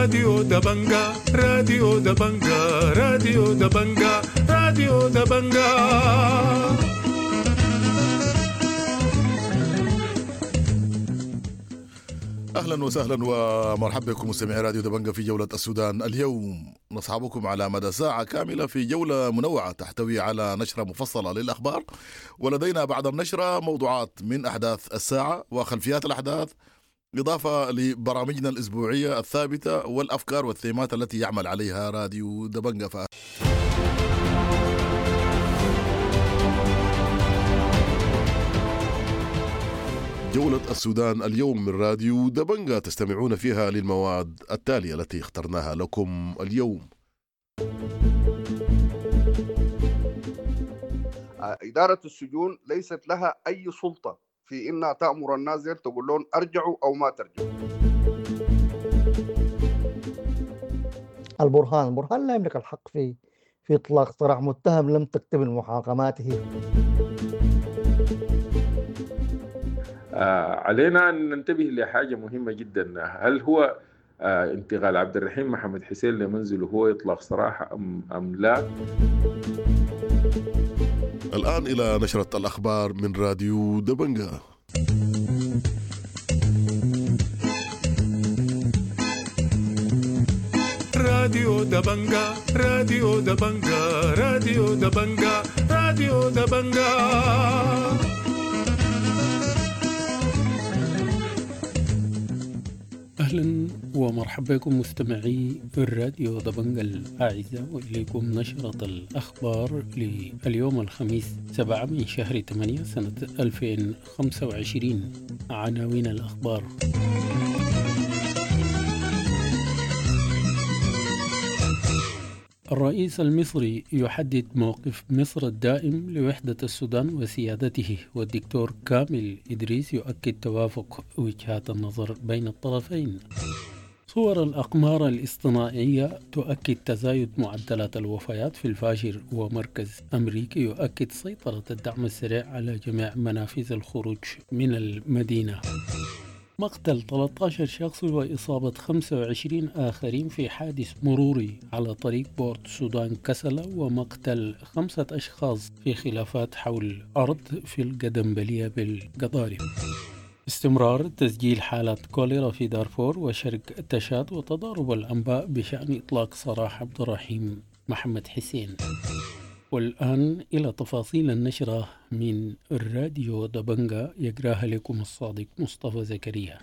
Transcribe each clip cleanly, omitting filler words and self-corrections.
راديو دبنجا، راديو دبنجا، راديو دبنجا، راديو دبنجا. اهلا وسهلا ومرحبا بكم مستمعي راديو دبنجا في جولة السودان اليوم. نصحبكم على مدى ساعة كاملة في جولة منوعة تحتوي على نشرة مفصلة للأخبار، ولدينا بعد النشرة موضوعات من أحداث الساعة وخلفيات الأحداث، إضافة لبرامجنا الأسبوعية الثابتة والأفكار والثيمات التي يعمل عليها راديو دبنجا. جولة السودان اليوم من راديو دبنجا تستمعون فيها للمواد التالية التي اخترناها لكم اليوم. إدارة السجون ليست لها أي سلطة في إنها تأمر الناس تقول لهم أرجعوا أو ما ترجعوا. البرهان لا يملك الحق في إطلاق سراح متهم لم تكتمل محاكماته. علينا أن ننتبه لحاجة مهمة جدا. هل هو انتقال عبد الرحيم محمد حسين لمنزله هو إطلاق سراح أم لا؟ الآن إلى نشرة الأخبار من راديو دبنجا. راديو دبنجا، راديو دبنجا، راديو دبنجا، راديو دبنجا. أهلا ومرحبا بكم مستمعي الراديو دبنجا الأعزاء، وإليكم نشرة الأخبار لليوم الخميس 7 من شهر 8 سنة 2025. عناوين الأخبار: الرئيس المصري يحدد موقف مصر الدائم لوحدة السودان وسيادته، والدكتور كامل إدريس يؤكد توافق وجهات النظر بين الطرفين. صور الأقمار الاصطناعية تؤكد تزايد معدلات الوفيات في الفاشر، ومركز أمريكي يؤكد سيطرة الدعم السريع على جميع منافذ الخروج من المدينة. مقتل 13 شخص وإصابة 25 آخرين في حادث مروري على طريق بورت سودان كسلة، ومقتل 5 أشخاص في خلافات حول أرض في القدمبلية بالقضارف. استمرار تسجيل حالات كوليرا في دارفور وشرق تشاد، وتضارب الأنباء بشأن إطلاق سراح عبد الرحيم محمد حسين. والآن إلى تفاصيل النشرة من الراديو دبنجا، يقراها لكم الصادق مصطفى زكريا.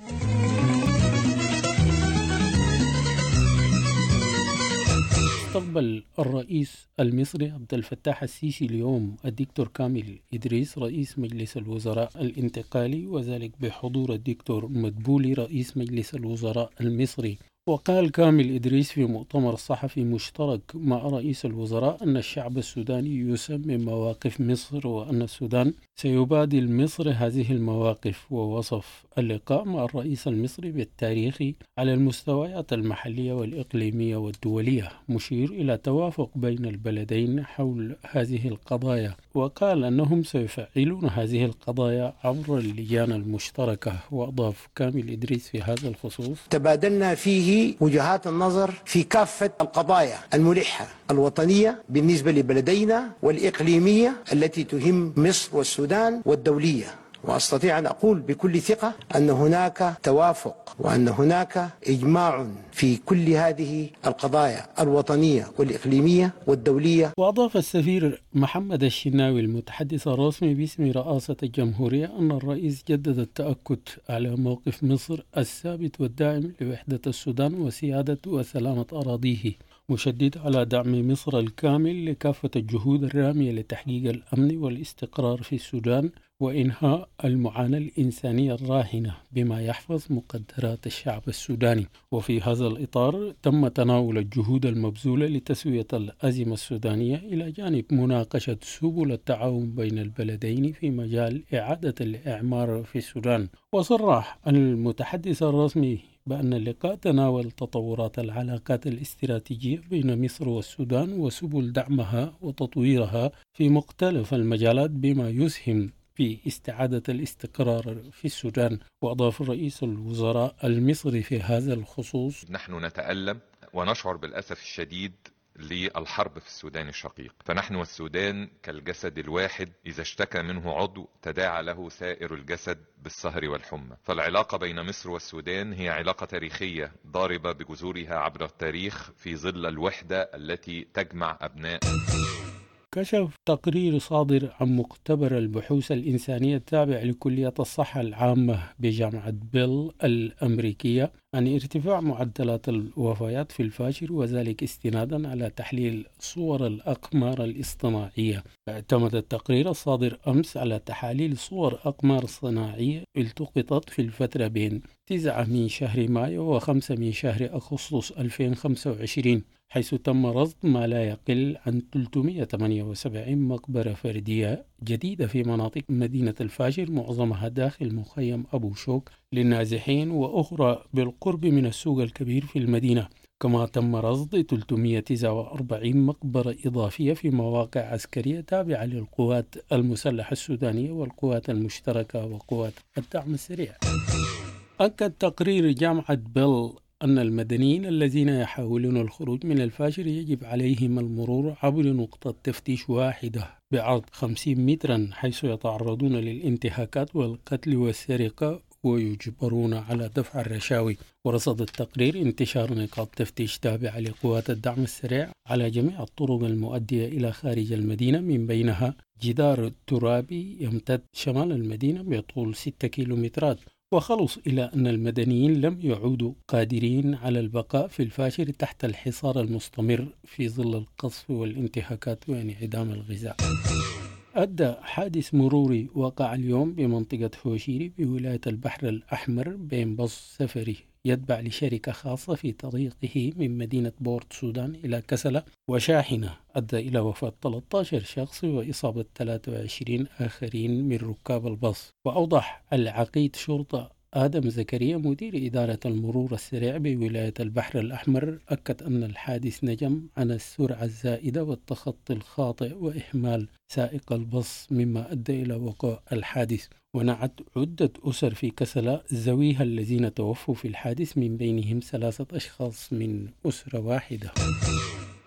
استقبل الرئيس المصري عبد الفتاح السيسي اليوم الدكتور كامل إدريس رئيس مجلس الوزراء الانتقالي، وذلك بحضور الدكتور مدبولي رئيس مجلس الوزراء المصري. وقال كامل إدريس في مؤتمر صحفي مشترك مع رئيس الوزراء أن الشعب السوداني يسمي مواقف مصر، وأن السودان سيبادل مصر هذه المواقف. ووصف اللقاء مع الرئيس المصري بالتاريخي على المستويات المحلية والإقليمية والدولية، مشير إلى توافق بين البلدين حول هذه القضايا. وقال أنهم سيفعلون هذه القضايا عبر اللجان المشتركة. وأضاف كامل إدريس في هذا الخصوص: تبادلنا فيه وجهات النظر في كافة القضايا الملحة الوطنية بالنسبة لبلدينا والإقليمية التي تهم مصر والسودان والدولية، وأستطيع أن أقول بكل ثقة أن هناك توافق وأن هناك إجماع في كل هذه القضايا الوطنية والإقليمية والدولية. وأضاف السفير محمد الشناوي المتحدث الرسمي باسم رئاسة الجمهورية أن الرئيس جدد التأكد على موقف مصر الثابت والدائم لوحدة السودان وسيادة وسلامة أراضيه، مشدد على دعم مصر الكامل لكافة الجهود الرامية لتحقيق الأمن والاستقرار في السودان وإنهاء المعاناة الإنسانية الراهنة بما يحفظ مقدرات الشعب السوداني. وفي هذا الإطار تم تناول الجهود المبذولة لتسوية الأزمة السودانية إلى جانب مناقشة سبل التعاون بين البلدين في مجال إعادة الإعمار في السودان. وصرح المتحدث الرسمي بأن اللقاء تناول تطورات العلاقات الاستراتيجية بين مصر والسودان وسبل دعمها وتطويرها في مختلف المجالات بما يسهم في استعادة الاستقرار في السودان. وأضاف رئيس الوزراء المصري في هذا الخصوص: نحن نتألم ونشعر بالأسف الشديد للحرب في السودان الشقيق، فنحن والسودان كالجسد الواحد، إذا اشتكى منه عضو تداعى له سائر الجسد بالسهر والحمى. فالعلاقة بين مصر والسودان هي علاقة تاريخية ضاربة بجذورها عبر التاريخ في ظل الوحدة التي تجمع أبناء. كشف تقرير صادر عن مختبر البحوث الإنسانية التابع لكلية الصحة العامة بجامعة بيل الأمريكية عن ارتفاع معدلات الوفيات في الفاشر، وذلك استنادا على تحليل صور الأقمار الاصطناعية. اعتمد التقرير الصادر أمس على تحاليل صور أقمار صناعية التقطت في الفترة بين 9 من شهر مايو و5 من شهر أغسطس 2025، حيث تم رصد ما لا يقل عن 378 مقبرة فردية جديدة في مناطق مدينة الفاشر، معظمها داخل مخيم أبو شوك للنازحين وأخرى بالقرب من السوق الكبير في المدينة. كما تم رصد 349 مقبرة إضافية في مواقع عسكرية تابعة للقوات المسلحة السودانية والقوات المشتركة وقوات الدعم السريع. أكد تقرير جامعة بيل أن المدنيين الذين يحاولون الخروج من الفاشر يجب عليهم المرور عبر نقطة تفتيش واحدة بعرض 50 مترا، حيث يتعرضون للانتهاكات والقتل والسرقة ويجبرون على دفع الرشاوي. ورصد التقرير انتشار نقاط تفتيش تابعة لقوات الدعم السريع على جميع الطرق المؤدية إلى خارج المدينة، من بينها جدار ترابي يمتد شمال المدينة بطول 6 كيلومترات. وخلص إلى أن المدنيين لم يعودوا قادرين على البقاء في الفاشر تحت الحصار المستمر في ظل القصف والانتهاكات وانعدام الغذاء. أدى حادث مروري وقع اليوم بمنطقة هوشيري بولاية البحر الأحمر بين باص سفري يتبع لشركة خاصة في طريقه من مدينة بورت سودان إلى كسلة وشاحنة، أدى إلى وفاة 13 شخص وإصابة 23 آخرين من ركاب الباص. وأوضح العقيد شرطة آدم زكريا مدير إدارة المرور السريع بولاية البحر الأحمر، أكد أن الحادث نجم عن السرعة الزائدة والتخطي الخاطئ وإهمال سائق الباص مما أدى إلى وقوع الحادث. ونعت عدة أسر في كسلة ذويها الذين توفوا في الحادث، من بينهم 3 أشخاص من أسرة واحدة.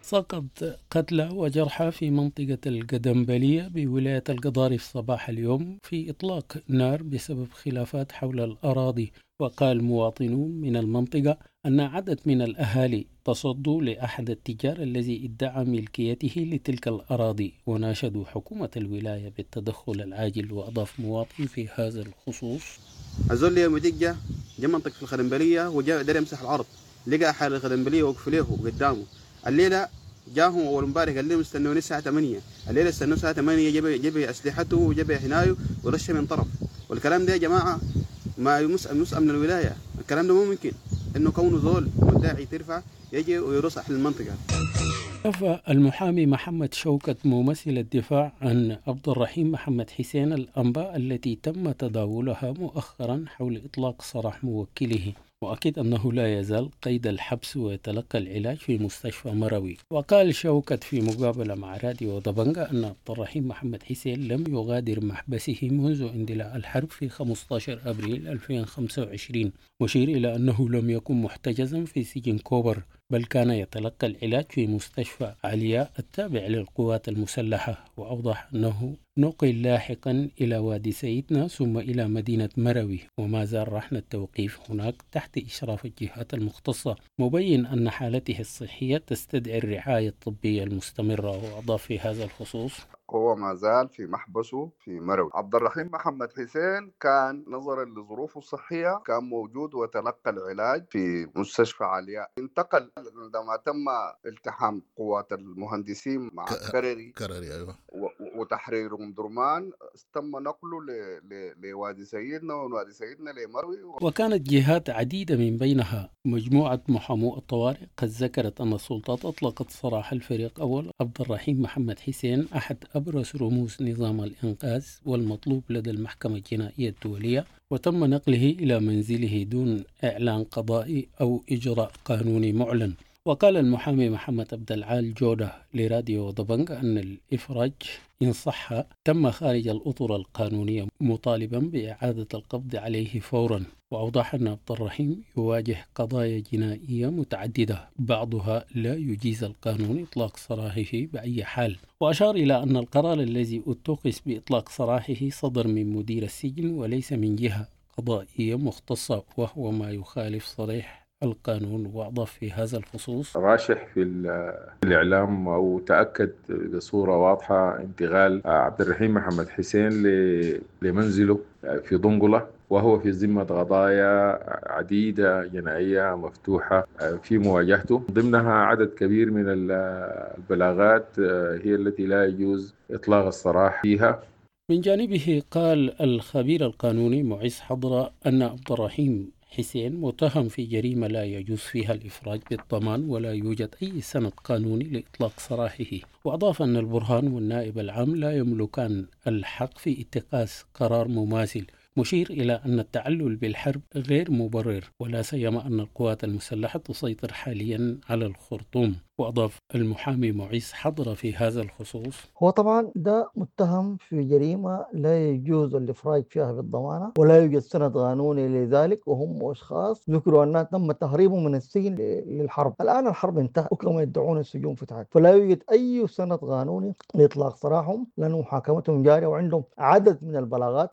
سقط قتلى وجرحى في منطقة القدمبلية بولاية القضارف صباح اليوم في إطلاق نار بسبب خلافات حول الأراضي. وقال مواطنون من المنطقة أن عدد من الأهالي تصدوا لأحد التجار الذي ادعى ملكيته لتلك الأراضي وناشدوا حكومة الولاية بالتدخل العاجل. وأضاف مواطن في هذا الخصوص: الزول يوم جا منطقة الخدمبلية وجاء دار يمسح الأرض، لقى حال الخدمبلية وقف له قدامه. الليلة جاهم أول امبارح قال لهم استنوني الساعة 8، الليلة استنوا الساعة 8، جاب أسلحته وجاب حنايه ورشه من طرف. والكلام ده يا جماعة ما يمس من الولاية، الكلام ده مو ممكن إنه كونه زول مدعي ترفع يجي ويرصح للمنطقة. نفى المحامي محمد شوكت ممثل الدفاع عن عبد الرحيم محمد حسين الأنباء التي تم تداولها مؤخرا حول إطلاق سراح موكله، وأكد أنه لا يزال قيد الحبس ويتلقى العلاج في مستشفى مروي. وقال شوكت في مقابلة مع راديو دبنجا أن عبد الرحيم محمد حسين لم يغادر محبسه منذ اندلاع الحرب في 15 أبريل 2025، مشير إلى أنه لم يكن محتجزا في سجن كوبر، بل كان يتلقى العلاج في مستشفى علياء التابع للقوات المسلحة. وأوضح أنه نقل لاحقا إلى وادي سيدنا ثم إلى مدينة مروي، وما زال رهن التوقيف هناك تحت إشراف الجهات المختصة، مبين أن حالته الصحية تستدعي الرعاية الطبية المستمرة. وأضاف في هذا الخصوص: هو ما زال في محبسه في مروي. عبد الرحيم محمد حسين كان نظرا لظروفه الصحية كان موجود وتلقى العلاج في مستشفى علياء. انتقل عندما تم التحام قوات المهندسين مع كرري أيوة. وتحرير أم درمان، تم نقله لوادي سيدنا ووادي سيدنا لمروي. وكانت جهات عديدة من بينها مجموعة محامو الطوارئ قد ذكرت أن السلطات أطلقت سراح الفريق أول عبد الرحيم محمد حسين أحد أبرز رموز نظام الإنقاذ والمطلوب لدى المحكمة الجنائية الدولية، وتم نقله إلى منزله دون إعلان قضائي أو إجراء قانوني معلن. وقال المحامي محمد عبد العال جودة لراديو دبنج أن الإفراج إن صح تم خارج الأطر القانونية، مطالبا بإعادة القبض عليه فورا. وأوضح أن عبد الرحيم يواجه قضايا جنائية متعددة بعضها لا يجيز القانون إطلاق سراحه بأي حال. وأشار إلى أن القرار الذي اتخذ بإطلاق سراحه صدر من مدير السجن وليس من جهة قضائية مختصة، وهو ما يخالف صريح القانون. وأضاف في هذا الخصوص: راشح في الإعلام أو تأكد بصورة واضحة انتقال عبد الرحيم محمد حسين لمنزله في دنقلة، وهو في ذمة قضايا عديدة جنائية مفتوحة في مواجهته، ضمنها عدد كبير من البلاغات هي التي لا يجوز إطلاق السراح فيها. من جانبه قال الخبير القانوني معز حضرة أن عبد الرحيم حسين متهم في جريمة لا يجوز فيها الإفراج بالضمان ولا يوجد أي سند قانوني لإطلاق سراحه. وأضاف أن البرهان والنائب العام لا يملكان الحق في اتخاذ قرار مماثل، مشير إلى أن التعلل بالحرب غير مبرر، ولا سيما أن القوات المسلحة تسيطر حاليا على الخرطوم. وأضاف المحامي معيز حضر في هذا الخصوص: هو طبعا ده متهم في جريمة لا يجوز الإفراج فيها بالضمانة ولا يوجد سند قانوني لذلك، وهم أشخاص ذكروا أنها تم تهريبهم من السجن للحرب. الآن الحرب انتهت وكما يدعون السجون فتحت، فلا يوجد أي سند قانوني لإطلاق سراحهم لأن محاكمتهم جارية وعندهم عدد من البلاغات.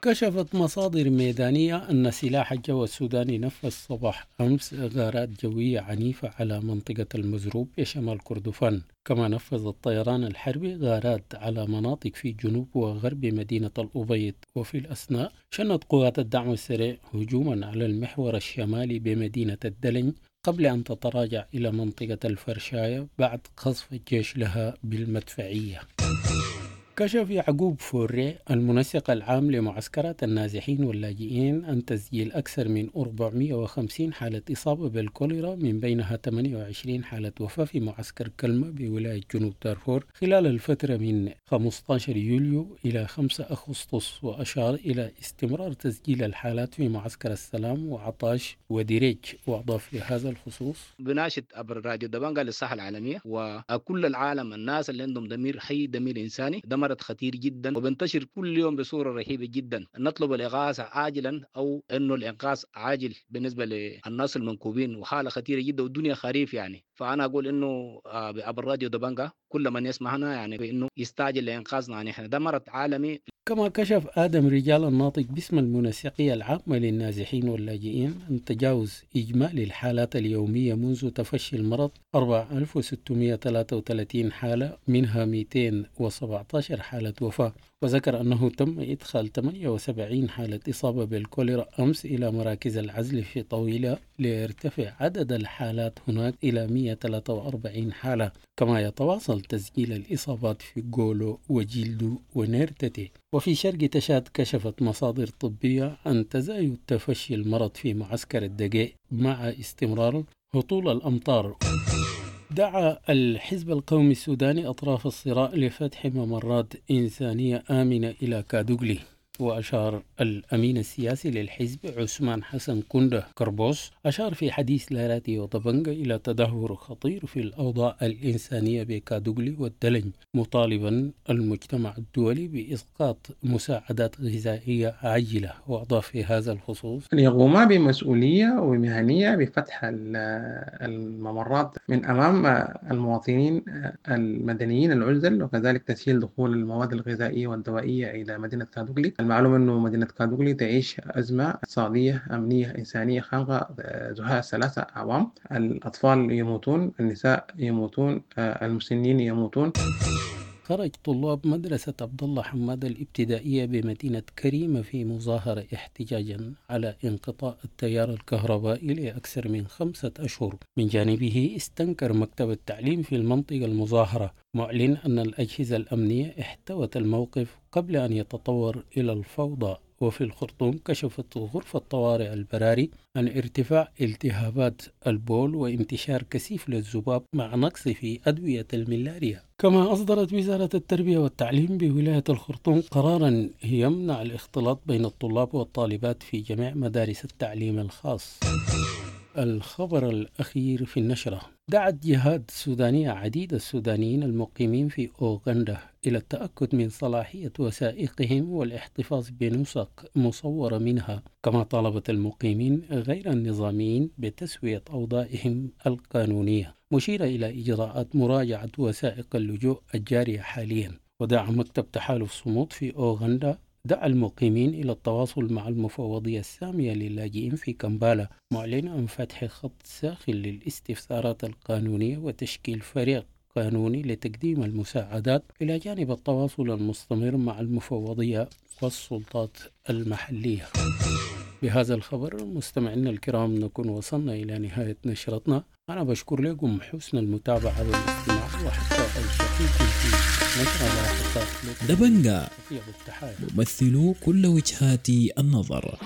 كشفت مصادر ميدانية أن سلاح الجو السوداني نفذ صباح أمس غارات جوية عنيفة على منطقة المزروب بشمال كردفان، كما نفذ الطيران الحربي غارات على مناطق في جنوب وغرب مدينة الأبيض. وفي الأثناء شنت قوات الدعم السريع هجوما على المحور الشمالي بمدينة الدلنج قبل أن تتراجع إلى منطقة الفرشاية بعد قصف الجيش لها بالمدفعية. كشف يعقوب فوري المنسق العام لمعسكرات النازحين واللاجئين عن تسجيل أكثر من 450 حالة إصابة بالكوليرا، من بينها 28 حالة وفاة في معسكر كلمة بولاية جنوب دارفور خلال الفترة من 15 يوليو إلى 5 أغسطس. وأشار إلى استمرار تسجيل الحالات في معسكر السلام وعطاش وديريج. وأضاف في هذا الخصوص: بناشد عبر راديو دبنجا للصحة العالمية وكل العالم، الناس اللي عندهم ضمير حي، ضمير إنساني، ده مرض خطير جدا وبنتشر كل يوم بصورة رهيبة جدا. نطلب الإغاثة عاجلا، أو إنه الإنقاذ عاجل بالنسبة للناس المنكوبين، وحالة خطيرة جدا والدنيا خريف يعني. فأنا أقول إنه عبر راديو دبنجا كل من يسمعنا يعني بإنه يستعجل لإنقاذنا، يعني إحنا ده مرض عالمي. كما كشف آدم رجال الناطق باسم المنسقية العامة للنازحين واللاجئين أن تجاوز إجمالي الحالات اليومية منذ تفشي المرض 4633 حالة، منها 217 حالة وفاة. وذكر أنه تم إدخال 78 حالة إصابة بالكوليرا أمس إلى مراكز العزل في طويلة، ليرتفع عدد الحالات هناك إلى 143 حالة. كما يتواصل تسجيل الإصابات في غولو وجلدو ونيرتتي. وفي شرق تشاد كشفت مصادر طبية عن تزايد تفشي المرض في معسكر الدقيق مع استمرار هطول الأمطار. دعا الحزب القومي السوداني أطراف الصراع لفتح ممرات إنسانية آمنة إلى كادوغلي. وأشار الأمين السياسي للحزب عثمان حسن كندة كربوس أشار في حديث لراديو دبنجا إلى تدهور خطير في الأوضاع الإنسانية بكادوغلي والدلنج، مطالبا المجتمع الدولي بإسقاط مساعدات غذائية عاجلة. وأضاف في هذا الخصوص: أن يقوما بمسؤولية ومهنية بفتح الممرات من أمام المواطنين المدنيين العزل، وكذلك تسهيل دخول المواد الغذائية والدوائية إلى مدينة كادوغلي. المعلوم أنه مدينة كادوغلي تعيش أزمة اقتصادية أمنية إنسانية خانقة زهاء 3 أعوام. الأطفال يموتون، النساء يموتون، المسنين يموتون. خرج طلاب مدرسة عبد الله حماد الابتدائية بمدينة كريمة في مظاهرة احتجاجا على انقطاع التيار الكهربائي لأكثر من 5 أشهر. من جانبه استنكر مكتب التعليم في المنطقة المظاهرة، معلن أن الأجهزة الأمنية احتوت الموقف قبل أن يتطور إلى الفوضى. وفي الخرطوم كشفت غرفة طوارئ البراري عن ارتفاع التهابات البول وانتشار كثيف للذباب مع نقص في أدوية الملاريا. كما أصدرت وزارة التربية والتعليم بولاية الخرطوم قرارا يمنع الاختلاط بين الطلاب والطالبات في جميع مدارس التعليم الخاص. الخبر الأخير في النشرة: دعت جهات سودانية عديدة السودانيين المقيمين في أوغندا إلى التأكد من صلاحية وثائقهم والاحتفاظ بنسخ مصورة منها، كما طالبت المقيمين غير النظاميين بتسوية أوضاعهم القانونية، مشيرة إلى إجراءات مراجعة وثائق اللجوء الجارية حاليا. ودعا مكتب تحالف صمود في أوغندا دعا المقيمين إلى التواصل مع المفوضية السامية للاجئين في كمبالا، معلنا عن فتح خط ساخن للاستفسارات القانونية وتشكيل فريق قانوني لتقديم المساعدات، إلى جانب التواصل المستمر مع المفوضية والسلطات المحلية. بهذا الخبر مستمعينا الكرام نكون وصلنا إلى نهاية نشرتنا. أنا بشكر لكم حسن المتابعة والاستماع، وحتى ألتقيكم في نشرة لاحقة. دبنجا ممثل كل وجهات النظر.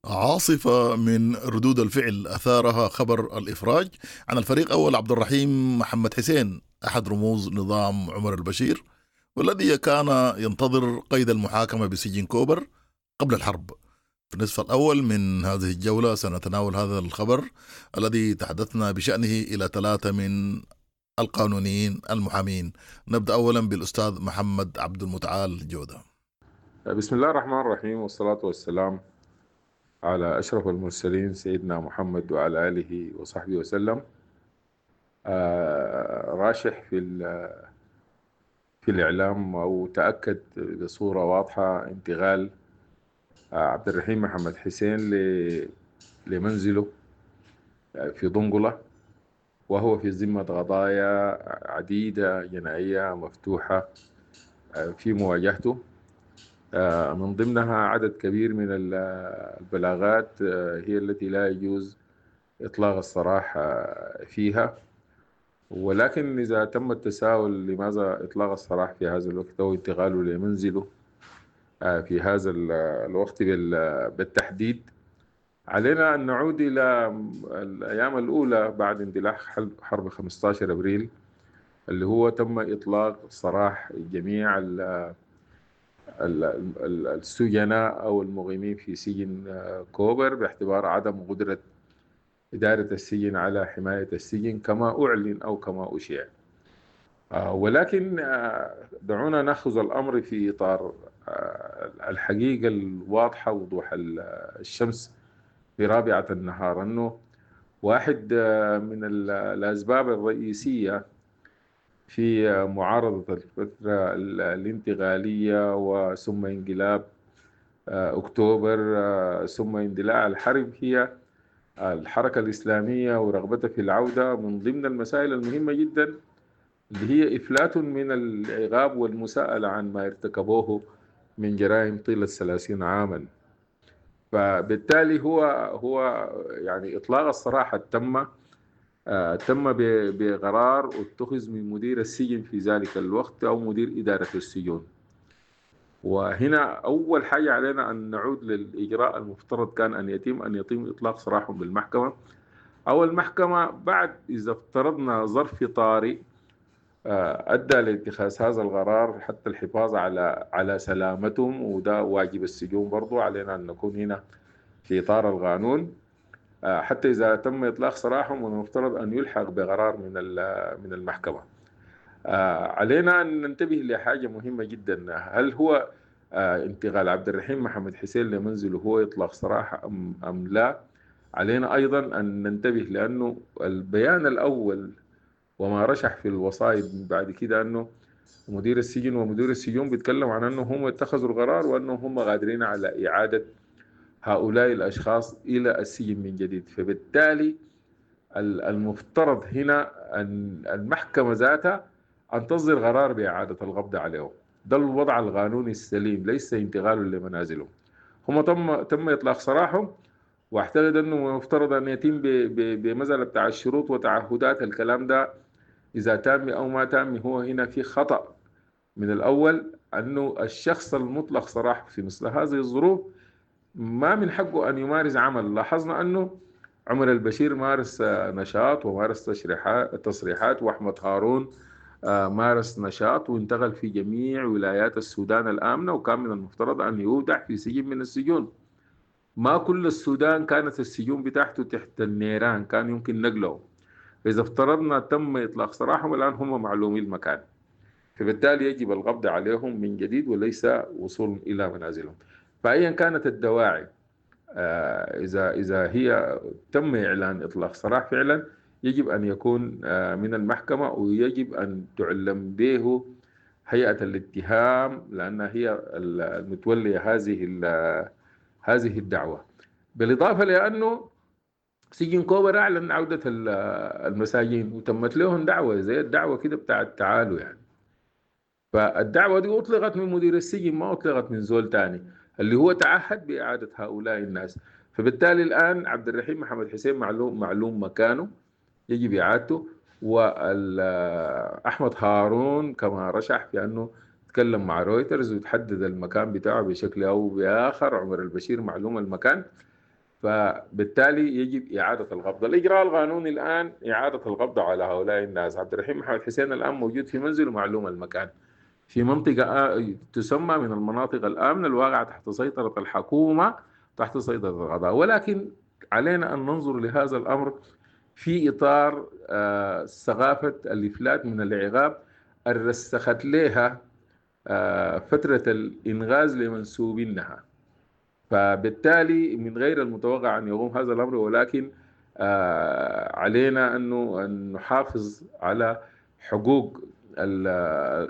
عاصفة من ردود الفعل أثارها خبر الإفراج عن الفريق أول عبد الرحيم محمد حسين، أحد رموز نظام عمر البشير، والذي كان ينتظر قيد المحاكمة بسجن كوبر قبل الحرب. في النصف الأول من هذه الجولة سنتناول هذا الخبر الذي تحدثنا بشأنه إلى 3 من القانونيين المحامين. نبدأ أولا بالأستاذ محمد عبد المتعال جودة. بسم الله الرحمن الرحيم، والصلاة والسلام على أشرف المرسلين سيدنا محمد وعلى آله وصحبه وسلم. راشح في الإعلام أو تأكد بصورة واضحة انتقال عبد الرحيم محمد حسين لمنزله في دنقلة، وهو في ذمة قضايا عديدة جنائية مفتوحة في مواجهته، من ضمنها عدد كبير من البلاغات هي التي لا يجوز إطلاق السراح فيها. ولكن إذا تم التساؤل لماذا إطلاق السراح في هذا الوقت أو انتقاله لمنزله في هذا الوقت بالتحديد، علينا أن نعود إلى الأيام الأولى بعد اندلاع حرب 15 أبريل، اللي هو تم إطلاق سراح جميع السجناء أو المقيمين في سجن كوبر باعتبار عدم قدرة إدارة السجن على حماية السجن كما أعلن أو كما أشيع. ولكن دعونا نأخذ الأمر في إطار الحقيقة الواضحة، وضوح الشمس في رابعة النهار، أنه واحد من الأسباب الرئيسية في معارضة الفترة الانتقالية وثم انقلاب أكتوبر ثم اندلاع الحرب هي الحركة الإسلامية ورغبتها في العودة، من ضمن المسائل المهمة جدا اللي هي إفلات من العقاب والمساءلة عن ما ارتكبوه من جرائم طيلة 30 عاما. فبالتالي هو يعني إطلاق السراح تم بقرار اتخذ من مدير السجن في ذلك الوقت أو مدير إدارة السجون. وهنا أول حاجة علينا أن نعود للإجراء المفترض كان أن يتم إطلاق سراحهم بالمحكمة، أو المحكمة بعد إذا افترضنا ظرف طارئ أدى لاتخاذ هذا القرار حتى الحفاظ على سلامتهم، وده واجب السجون برضو علينا أن نكون هنا في إطار القانون. حتى إذا تم إطلاق سراحهم المفترض أن يلحق بقرار من المحكمة. علينا أن ننتبه لحاجة مهمة جدا، هل هو انتقال عبد الرحيم محمد حسين لمنزله هو إطلاق سراح أم لا؟ علينا أيضا أن ننتبه لأنه البيان الأول وما رشح في الوصايد بعد كده أنه مدير السجن ومدير السجون بيتكلم عن أنه هم اتخذوا القرار وأنه هم قادرين على إعادة هؤلاء الأشخاص إلى السجن من جديد. فبالتالي المفترض هنا أن المحكمة ذاتها أن تصدر قرار بإعادة القبض عليهم. ده الوضع القانوني السليم، ليس انتقاله لمنازلهم. هم تم إطلاق سراحهم، واعتقد أنه المفترض أن يتم بمسألة بتاع الشروط وتعهدات. الكلام ده إذا تم أو ما تم هو هنا في خطأ من الأول، أنه الشخص المطلق سراح في مثل هذه الظروف ما من حقه أن يمارس عمل. لاحظنا أنه عمر البشير مارس نشاط ومارس تصريحات، وأحمد هارون مارس نشاط وانتقل في جميع ولايات السودان الآمنة، وكان من المفترض أن يودع في سجن من السجون. ما كل السودان كانت السجون بتاعته تحت النيران، كان يمكن نقله. إذا افترضنا تم إطلاق سراحهم الآن هم معلومي المكان، فبالتالي يجب القبض عليهم من جديد وليس وصول إلى منازلهم. فأيا كانت الدواعي، إذا هي تم إعلان إطلاق سراح فعلا يجب أن يكون من المحكمة، ويجب أن تعلم به هيئة الاتهام لأنها هي المتولية هذه الدعوة. بالإضافة لأنه سجن كوبر أعلن عودة المساجين وتمت لهم دعوة زي الدعوة كده بتاع التعالوا يعني. فالدعوة دي أطلقت من مدير السجن، ما أطلقت من زول تاني اللي هو تعهد بإعادة هؤلاء الناس. فبالتالي الآن عبد الرحيم محمد حسين معلوم مكانه، يجب إعادته. وأحمد هارون كما رشح في أنه تكلم مع رويترز وتحدد المكان بتاعه بشكل أو بآخر، عمر البشير معلوم المكان، فبالتالي يجب إعادة القبض. الإجراء القانوني الآن إعادة القبض على هؤلاء الناس. عبد الرحيم محمد حسين الآن موجود في منزله، معلوم المكان، في منطقة تسمى من المناطق الآمنة الواقعة تحت سيطرة الحكومة، تحت سيطرة القضاء. ولكن علينا أن ننظر لهذا الأمر في إطار ثقافة الإفلات من العقاب الرسخت لها فترة الإنغاز لمنسوبينها. فبالتالي من غير المتوقع أن يقوم هذا الأمر، ولكن علينا أن نحافظ على حقوق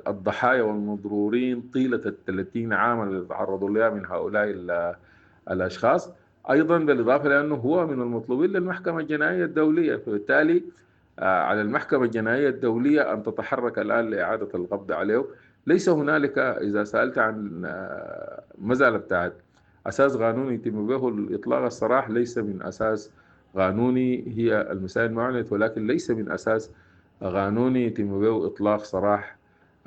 الضحايا والمضرورين طيلة 30 عاما اللي تعرضوا لها من هؤلاء الأشخاص. أيضا بالإضافة لأنه هو من المطلوبين للمحكمة الجنائية الدولية، فبالتالي على المحكمة الجنائية الدولية أن تتحرك الآن لإعادة القبض عليه. ليس هنالك، إذا سألت عن مسألة بتاعت أساس قانوني يتم به الإطلاق السراح، ليس من أساس قانوني، هي المسائل ما أعلنت، ولكن ليس من أساس قانوني يتم به إطلاق سراح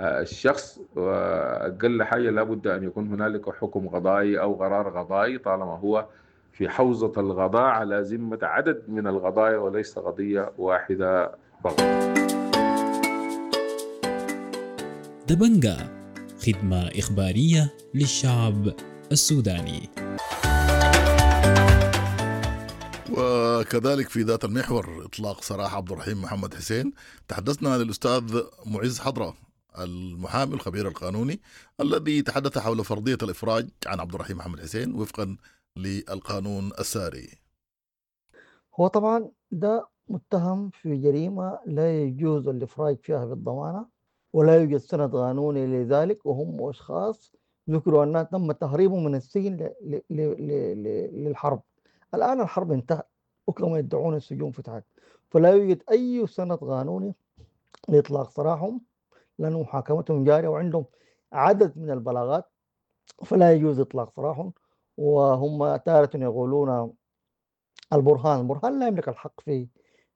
الشخص. وأقل حاجة لابد أن يكون هنالك حكم قضائي أو قرار قضائي طالما هو في حوزة القضاء على ذمة عدد من القضايا وليس قضية واحدة فقط. دبنجا، خدمة إخبارية للشعب السوداني. وكذلك في ذات المحور إطلاق سراح عبد الرحيم محمد حسين، تحدثنا للأستاذ معز حضرة المحامي الخبير القانوني الذي تحدث حول فرضية الإفراج عن عبد الرحيم محمد حسين وفقا للقانون الساري. هو طبعا ده متهم في جريمة لا يجوز الإفراج فيها بالضمانة، ولا يوجد سند قانوني لذلك، وهم أشخاص ذكروا أنها تم تهريبهم من السجن للحرب. الآن الحرب انتهت وكما يدعون السجون فتحت، فلا يوجد أي سند قانوني لإطلاق سراحهم لأن محاكمتهم جارية وعندهم عدد من البلاغات، فلا يجوز إطلاق سراحهم. وهم تارة يقولون البرهان لا يملك الحق في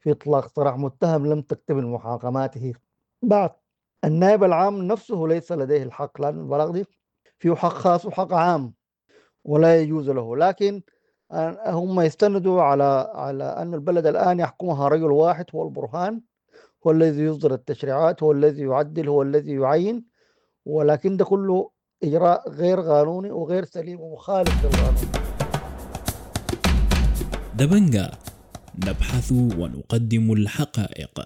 إطلاق سراح متهم لم تكتمل محاكماته بعد. النائب العام نفسه ليس لديه الحق، لأن البلاغ دي فيه حق خاص وحق عام ولا يجوز له. لكن هم يستندوا على أن البلد الآن يحكمها رجل واحد هو البرهان، هو الذي يصدر التشريعات، هو الذي يعدل، هو الذي يعين، ولكن ده كله إجراء غير قانوني وغير سليم ومخالف للقانون. دبنجا، نبحث ونقدم الحقائق.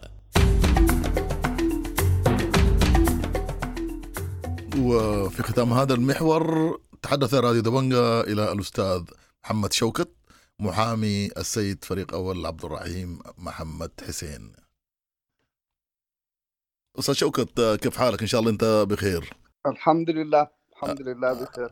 وفي ختام هذا المحور تحدث راديو دبنجا إلى الأستاذ محمد شوكت محامي السيد فريق أول عبد الرحيم محمد حسين. أستاذ شوكت، كيف حالك؟ إن شاء الله أنت بخير. الحمد لله، الحمد لله بخير.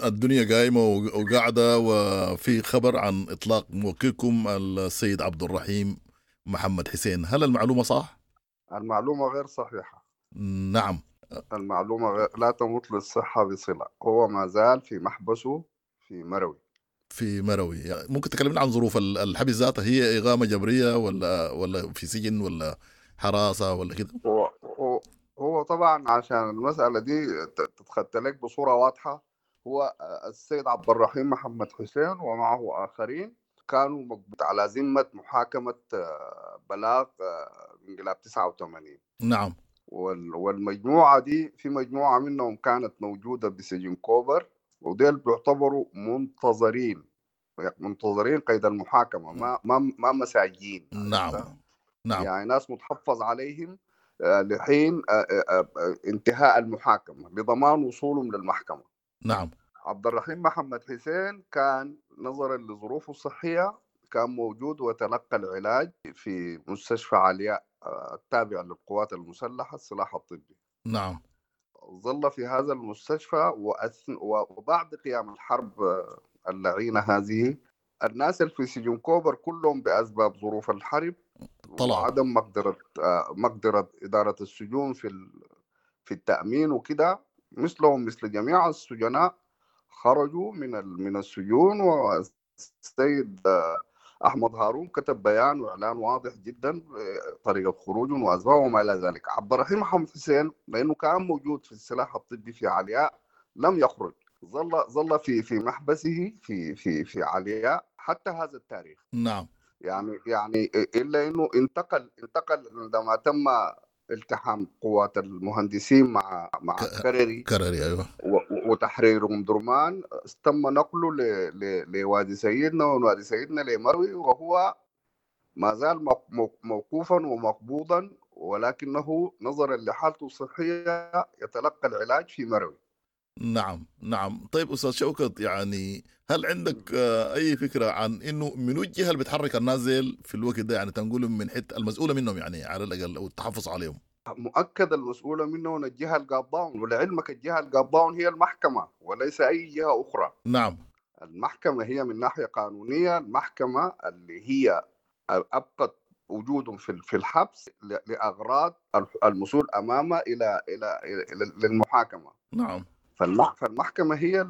الدنيا قايمة وقاعدة، وفي خبر عن إطلاق موكلكم السيد عبد الرحيم محمد حسين، هل المعلومة صح؟ المعلومة غير صحيحة. نعم، المعلومة لا تمت للصحة بصلة. هو ما زال في محبسه في مروي. في مروي. يعني ممكن تكلمنا عن ظروف الحبس ذاتها؟ هي إقامة جبرية ولا في سجن ولا حراسة ولا كده؟ هو طبعا عشان المسألة دي تتخطى لك بصورة واضحة، هو السيد عبد الرحيم محمد حسين ومعه آخرين كانوا على ذمة محاكمة بلاغ انقلاب 89. نعم. والمجموعة دي في مجموعة منهم كانت موجودة بسجن كوبر، وديل بيعتبروا منتظرين قيد المحاكمة، ما مساجين. نعم نعم، يعني ناس متحفظ عليهم لحين انتهاء المحاكمة لضمان وصولهم للمحكمة. نعم. عبد الرحيم محمد حسين كان نظرا لظروفه الصحية كان موجود وتلقى العلاج في مستشفى علياء التابع للقوات المسلحة السلاح الطبي. نعم. ظل في هذا المستشفى وبعد قيام الحرب اللعينة هذه الناس اللي في سجن كوبر كلهم بأسباب ظروف الحرب طلع وعدم مقدرة إدارة السجون في التأمين وكده، مثلهم مثل جميع السجناء خرجوا من السجون. والسيد أحمد هارون كتب بيان وإعلان واضح جدا طريقة خروجهم وأسبابهم وما إلى ذلك. عبد الرحيم محمد حسين لأنه كان موجود في السلاح الطبي في علياء لم يخرج، ظل في محبسه في في في علياء حتى هذا التاريخ. نعم. يعني إلا إنه انتقل عندما تم التحام قوات المهندسين مع كرري، أيوة، وتحرير أم درمان، تم نقله لوادي سيدنا، ووادي سيدنا لمروي، وهو ما زال موقوفا ومقبوضا، ولكنه نظرا لحالته الصحية يتلقى العلاج في مروي. نعم نعم. طيب أستاذ شوكت، يعني هل عندك أي فكرة عن إنه من الجهة اللي بتحرك النازل في الوقت ده، يعني تنقول من حتة المسؤولة منهم يعني على الأقل أو التحفظ عليهم؟ مؤكد المسؤولة منهم الجهة القابضاون، ولعلمك الجهة القابضاون هي المحكمة وليس أي جهة أخرى. نعم. المحكمة هي من ناحية قانونية المحكمة اللي هي أبقت وجودهم في الحبس لأغراض المسؤول أمامه إلى إلى للمحاكمة. نعم. فالمحكمة هي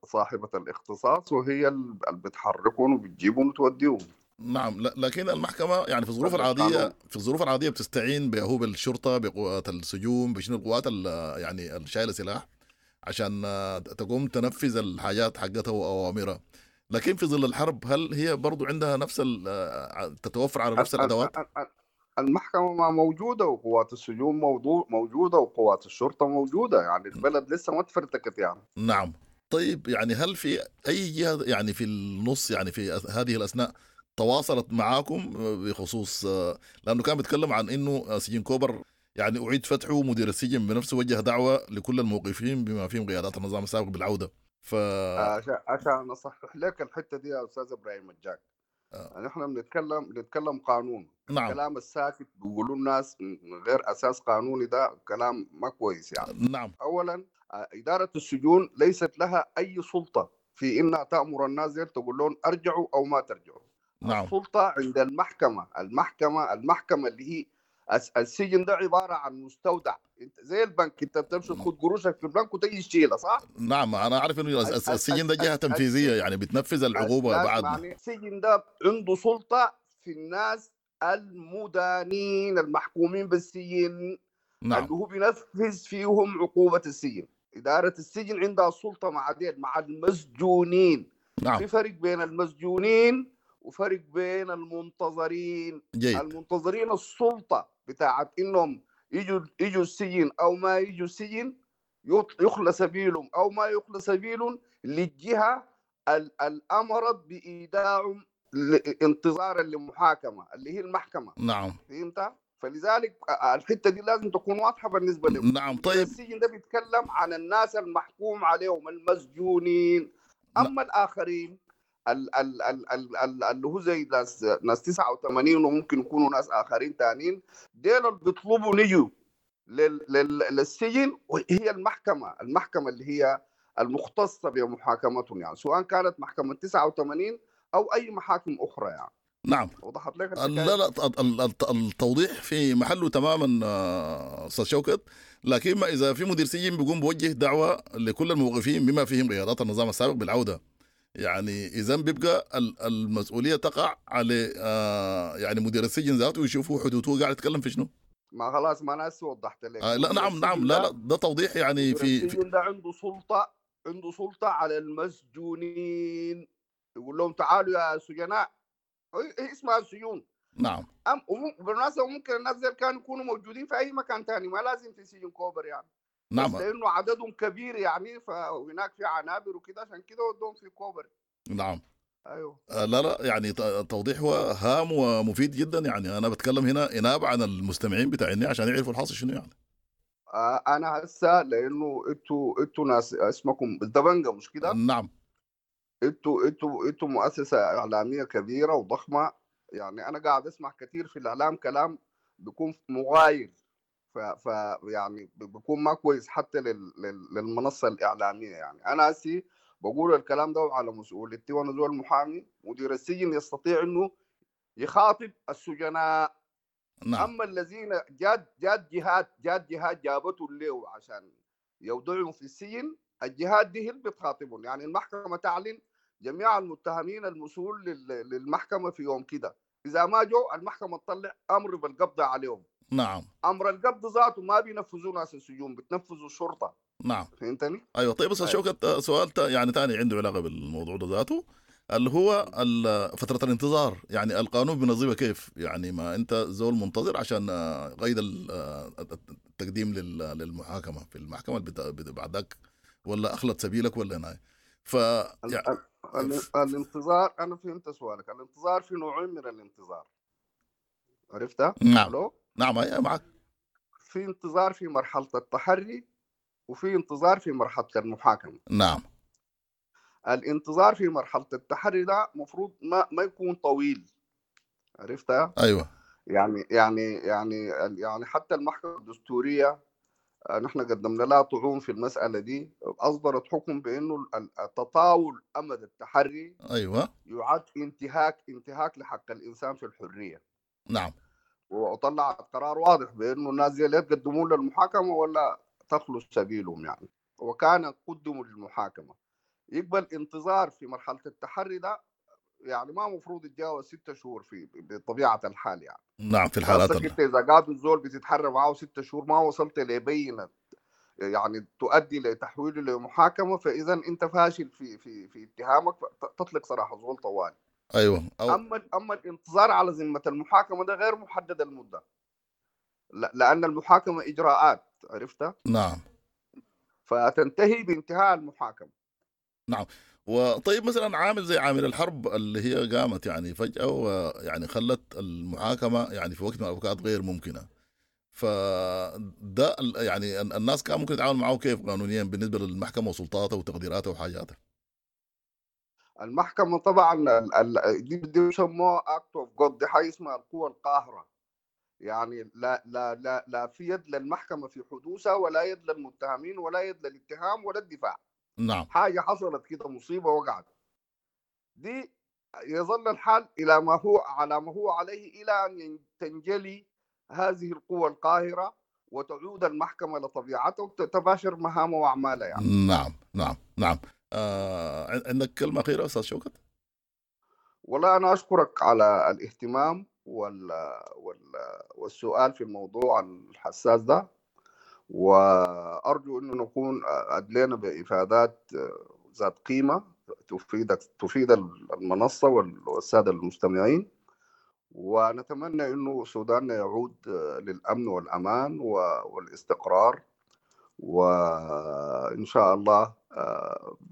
صاحبة الاختصاص، وهي اللي بتحركهم وبتجيبهم وتوديهم. نعم. لكن المحكمة يعني في الظروف العادية بتستعين به بالشرطة، بقوات السجون، بشنو القوات يعني الشايلة سلاح عشان تقوم تنفذ الحاجات حقتها وأوامرها. لكن في ظل الحرب هل هي برضو عندها نفس تتوفر على نفس الأدوات؟ المحكمة ما موجودة، وقوات السجون موجودة، وقوات الشرطة موجودة، يعني البلد لسه ما تفرتكت يعني. نعم. طيب يعني هل في أي جهة يعني في النص يعني في هذه الأثناء تواصلت معاكم بخصوص، لأنه كان بيتكلم عن إنه سجن كوبر يعني أعيد فتحه، مدير السجن بنفسه وجه دعوة لكل الموقفين بما فيهم قيادات النظام السابق بالعودة. عشان أصحح لك الحتة دي يا أستاذ إبراهيم الجاك، نحن بنتكلم قانون. نعم. الكلام الساكت بيقولوا الناس من غير أساس قانوني ده كلام ما كويس يعني. نعم. أولا إدارة السجون ليست لها أي سلطة في إنها تأمر الناس تقول لهم أرجعوا أو ما ترجعوا. نعم. السلطة عند المحكمة. المحكمة اللي هي السجن ده عبارة عن مستودع، انت زي البنك، انت بتمشي تاخذ قروشك في البنك وتجي تشيلها، صح؟ نعم، انا اعرف انه السجن ده جهة تنفيذية يعني بتنفذ العقوبة بعدنا. يعني السجن ده عنده سلطة في الناس المدانين المحكومين بالسجن. نعم. اللي هو بينفذ فيهم عقوبة السجن. إدارة السجن عندها سلطة مع ديل، مع المسجونين. نعم. في فرق بين المسجونين وفرق بين المنتظرين. جيد. المنتظرين السلطة بتاعت إنهم يجوا السجن أو ما يجوا السجن، يخلى سبيلهم أو ما يخلى سبيلهم للجهة الأمرت بإيداعهم انتظارا للمحاكمة اللي هي المحكمة. نعم. فهمت؟ فلذلك الحتة دي لازم تكون واضحة بالنسبة لهم. نعم. طيب السجن ده بيتكلم عن الناس المحكوم عليهم المسجونين. أما الآخرين اللي هو زي ناس 89 وممكن يكونوا ناس آخرين تانين، ديل اللي بيطلبوا نجوا للسجن، وهي المحكمة اللي هي المختصة بمحاكمتهم، يعني سواء كانت محكمة 89 أو أي محاكم أخرى يعني. نعم. وضحت لك؟ لا لا، التوضيح في محله تماما أستاذ شوكت. لكن ما إذا في مدير سجن بيقوم بوجه دعوة لكل الموقفين بما فيهم قيادات النظام السابق بالعودة، يعني إذا بيبقى المسؤولية تقع على يعني مدير السجن ذاته، ويشوفوا حدوده قاعد يتكلم في شنو. ما خلاص، ما أنا وضحت لك. لا نعم نعم، لا لا، ده توضيح يعني. في السجن ده عنده سلطة على المسجونين، يقول لهم تعالوا يا سجناء، اسمها السجون. نعم. بالمناسبة ممكن الناس دي كانوا يكونوا موجودين في اي مكان ثاني، ما لازم في سجن كوبر يعني. نعم. بس لانه عددهم كبير يعني، فهناك في عنابر وكده، عشان كده ودوهم في كوبر. نعم. ايوه. لا لا، يعني توضيح هام ومفيد جدا. يعني انا بتكلم هنا انابه عن المستمعين بتاعيني عشان يعرفوا الحاصل شنو يعني. انا هسه لانه انتوا ناس اسمكم دبنجة مش كده؟ نعم. انتوا مؤسسة اعلامية كبيرة وضخمه يعني. انا قاعد اسمع كثير في الاعلام كلام بيكون مغاير، ف يعني بيكون ما كويس حتى للمنصه الاعلامية يعني. انا هسي بقول الكلام ده على مسؤوليتي، وانا زول محامي. مدير السجن يستطيع انه يخاطب السجناء. نعم. اما الذين جات جهات جابته له عشان يوضعهم في السجن، الجهات دي هي اللي بتخاطبهم يعني. المحكمة تعلن جميع المتهمين المسؤول للمحكمة في يوم كده، اذا ما جو المحكمة تطلع امر بالقبض عليهم. نعم. امر القبض ذاته ما بينفذوه ناس السجون، بتنفذوا الشرطة. نعم. فهمتني؟ ايوه. طيب بس شوكت سؤال يعني ثاني عنده علاقة بالموضوع ده ذاته، اللي هو فترة الانتظار. يعني القانون بنظيمه كيف؟ يعني ما انت زول منتظر عشان قيد التقديم للمحاكمه في المحكمة بعدك، ولا اخلت سبيلك ولا هنا. ف يعني الانتظار، انا فهمت سؤالك. الانتظار في نوعين من الانتظار، عرفتها؟ نعم. نعم ايوه معك. في انتظار في مرحلة التحري، وفي انتظار في مرحلة المحاكمة. نعم. الانتظار في مرحلة التحري ده مفروض ما يكون طويل، عرفتها؟ ايوه. يعني يعني يعني يعني حتى المحكمة الدستورية نحن قدمنا لها طعون في المسألة دي، أصدرت حكم بأنه التطاول أمد التحري ايوه يعد انتهاك لحق الإنسان في الحرية. نعم. وطلعت قرار واضح بأنه الناس دي لا يتقدمون للمحاكمة ولا تخلو سبيلهم يعني، وكان قدموا للمحاكمة. يقبل انتظار في مرحلة التحري ده يعني ما مفروض يتجاوز 6 شهور في بطبيعة الحال يعني. نعم. في الحالات انت اذا قعدوا الزول بتتحرى معاه 6 شهور ما وصلت لبينة يعني تؤدي لتحويله لمحاكمة، فاذا انت فاشل في في في اتهامك، تطلق سراح الزول طوالي. ايوه. اما الانتظار على ذمة المحاكمة ده غير محدد المدة، لان المحاكمة اجراءات، عرفتها؟ نعم. فتنتهي بانتهاء المحاكمة. نعم. وطيب مثلا عامل زي عامل الحرب اللي هي قامت يعني فجأة ويعني خلت المحاكمة يعني في وقت من الأوقات غير ممكنة، فده يعني الناس كان ممكن يتعامل معه كيف قانونيا بالنسبة للمحكمة وسلطاتها وتقديراتها وحاجاتها؟ المحكمة طبعا دي يسموها act of God، دي حاجة اسمها القوة القاهرة يعني. لا لا لا لا في يد للمحكمة في حدوثها، ولا يد للمتهمين، ولا يد للاتهام ولا الدفاع. نعم. حاجة حصلت كده، مصيبة وقعت، دي يظل الحال إلى ما هو على ما هو عليه إلى أن تنجلي هذه القوة القاهرة وتعود المحكمة لطبيعتها وتباشر مهامها وأعمالها يعني. نعم نعم نعم. عندك كلمة أخيرة أستاذ شوكت؟ والله أنا أشكرك على الاهتمام والسؤال في الموضوع الحساس ده، وأرجو أنه نكون أدلينا بإفادات ذات قيمة تفيد المنصة والسادة المستمعين، ونتمنى أنه سوداننا يعود للأمن والأمان والاستقرار، وإن شاء الله.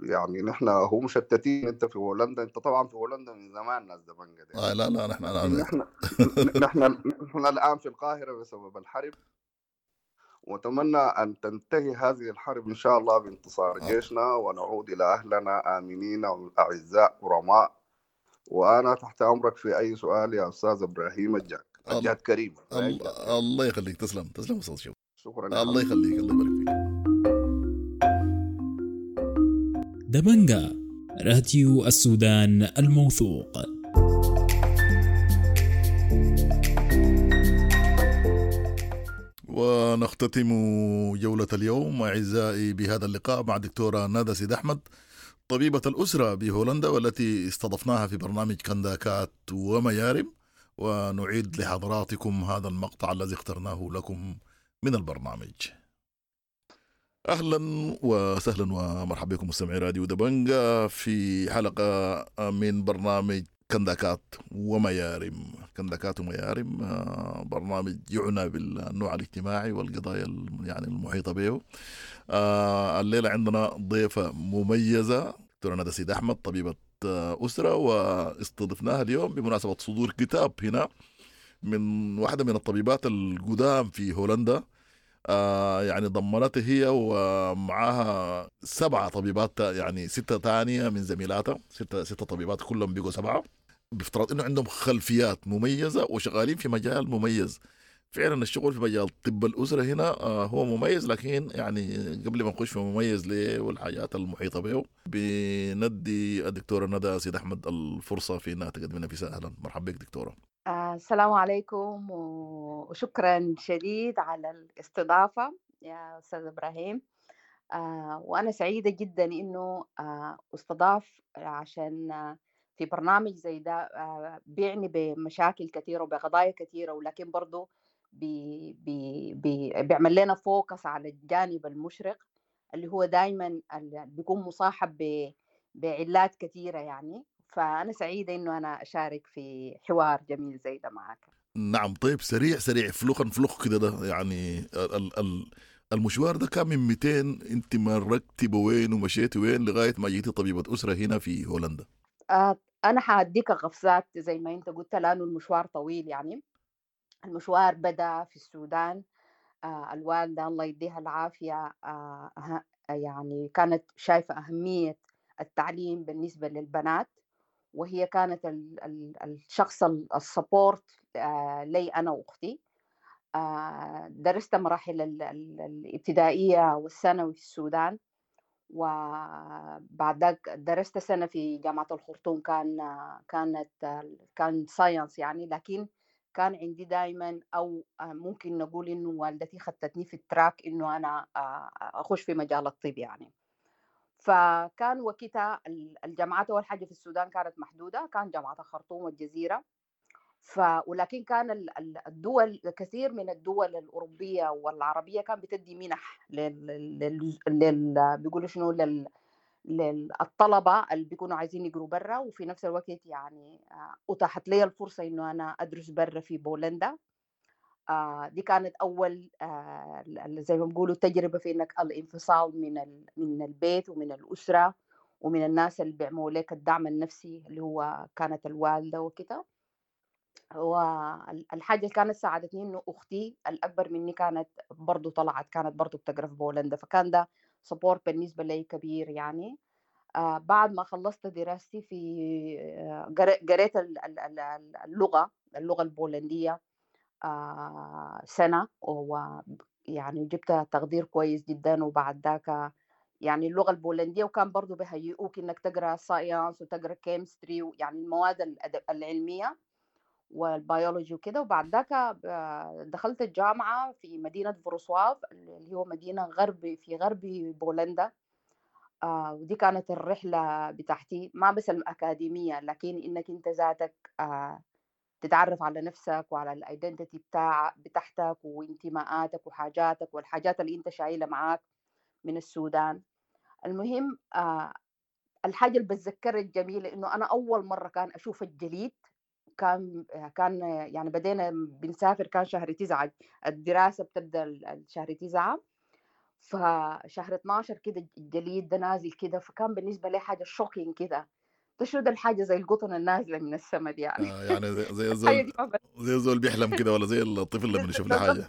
يعني نحن هو مشتتين. أنت في هولندا، أنت طبعا في هولندا من زمان ناس دبنجة دي. لا لا نحن الآن في القاهرة بسبب الحرب، وأتمنى أن تنتهي هذه الحرب إن شاء الله بانتصار جيشنا، ونعود إلى أهلنا آمنين أعزاء كرماء. وأنا تحت أمرك في أي سؤال يا أستاذ إبراهيم الجاد كريم. الله يخليك. تسلم تسلم أستاذ شوقي. شكرا. الله يخليك، الله يبارك فيك. دبنجا، راديو السودان الموثوق. ونختتم جولة اليوم أعزائي بهذا اللقاء مع دكتورة ندى سيد أحمد، طبيبة الأسرة بهولندا، والتي استضفناها في برنامج كنداكات وميارم. ونعيد لحضراتكم هذا المقطع الذي اخترناه لكم من البرنامج. أهلا وسهلا ومرحبا بكم مستمعي راديو دبنجا في حلقة من برنامج كنداكات وميارم. كنداكات وميارم برنامج يعنى بالنوع الاجتماعي والقضايا يعني المحيطة به. الليلة عندنا ضيفة مميزة، دكتورة ندى سيد أحمد، طبيبة أسرة، واستضفناها اليوم بمناسبة صدور كتاب هنا من واحدة من الطبيبات القدام في هولندا. يعني ضمنتها هي ومعاها 7 طبيبات، يعني 6 تانية من زميلاتها، 6 طبيبات كلهم بيقوا 7، بافتراض انه عندهم خلفيات مميزة وشغالين في مجال مميز. فعلا الشغل في مجال طب الأسرة هنا هو مميز، لكن يعني قبل ما نخش في مميز ليه والحاجات المحيطة به، بندي الدكتورة ندى سيد أحمد الفرصة في انها تقدم لنا نفسها. اهلا، مرحبا بك دكتورة. السلام عليكم وشكرا شديد على الاستضافة يا أستاذ إبراهيم. وأنا سعيدة جدا إنه استضاف عشان في برنامج زي ده بيعني بمشاكل كثيرة وبقضايا كثيرة، ولكن برضو بي بي بي بيعمل لنا focus على الجانب المشرق اللي هو دايما بيكون مصاحب بعلات كثيرة يعني. فأنا سعيدة إنه أنا أشارك في حوار جميل زي ده معك. نعم، طيب سريع سريع فلوخا فلوخ كده، ده يعني المشوار ده كان من 200، أنت مرقتي بوين ومشيتي وين لغاية ما جيتي طبيبة أسرة هنا في هولندا؟ أنا حأديك قفزات زي ما أنت قلت، لأنه المشوار طويل. يعني المشوار بدأ في السودان. الوالدة الله يديها العافية يعني كانت شايفة أهمية التعليم بالنسبة للبنات، وهي كانت الشخص ال support لي أنا وأختي. درست مراحل الابتدائية والثانوي في السودان، وبعد ذاك درست سنة في جامعة الخرطوم، كان science يعني. لكن كان عندي دايما، أو ممكن نقول إنه والدتي خدتني في ال track إنه أنا أخش في مجال الطب يعني. فكان وقتها الجامعات أول حاجة في السودان كانت محدودة، كان جامعة الخرطوم والجزيرة. ولكن كان الدول، كثير من الدول الأوروبية والعربية كان بتدي منح بيقولوا شنو للطلبة اللي بيكونوا عايزين يقروا برا. وفي نفس الوقت يعني أتاحت لي الفرصة إنه أنا أدرس برا في بولندا. دي كانت أول زي ما بيقولوا تجربة في إنك الانفصال من البيت ومن الأسرة ومن الناس اللي بيعملوا لك الدعم النفسي اللي هو كانت الوالدة وكده. والحاجة اللي كانت ساعدتني إنه أختي الأكبر مني كانت برضو طلعت، كانت برضو بتقرأ في بولندا، فكان ده support بالنسبة لي كبير يعني. بعد ما خلصت دراستي في قريت اللغة البولندية سنة، ويعني جبت تقدير كويس جدا. وبعد ذاك يعني اللغة البولندية، وكان برضو بهيئوك إنك تقرأ science وتقرأ chemistry، يعني المواد العلمية والبيولوجي وكده. وبعد ذاك دخلت الجامعة في مدينة فروسواف اللي هو مدينة في غرب بولندا. ودي كانت الرحلة بتاعتي، ما بس الأكاديمية، لكن إنك أنت ذاتك تتعرف على نفسك وعلى ال identity بتاعتك وانتماءاتك وحاجاتك والحاجات اللي انت شايلها معاك من السودان. المهم الحاجة اللي بتذكرها الجميلة إنه أنا أول مرة كان أشوف الجليد، كان يعني بدينا بنسافر، كان شهر 9، الدراسة بتبدأ شهر 9، فشهر 12 كده الجليد ده نازل كده، فكان بالنسبة لي حاجة shocking كده، تشوف الحاجة زي القطن النازلة من السما دي يعني. يعني زي زول زي زول بيحلم كده، ولا زي الطفل لما يشوف له حاجة.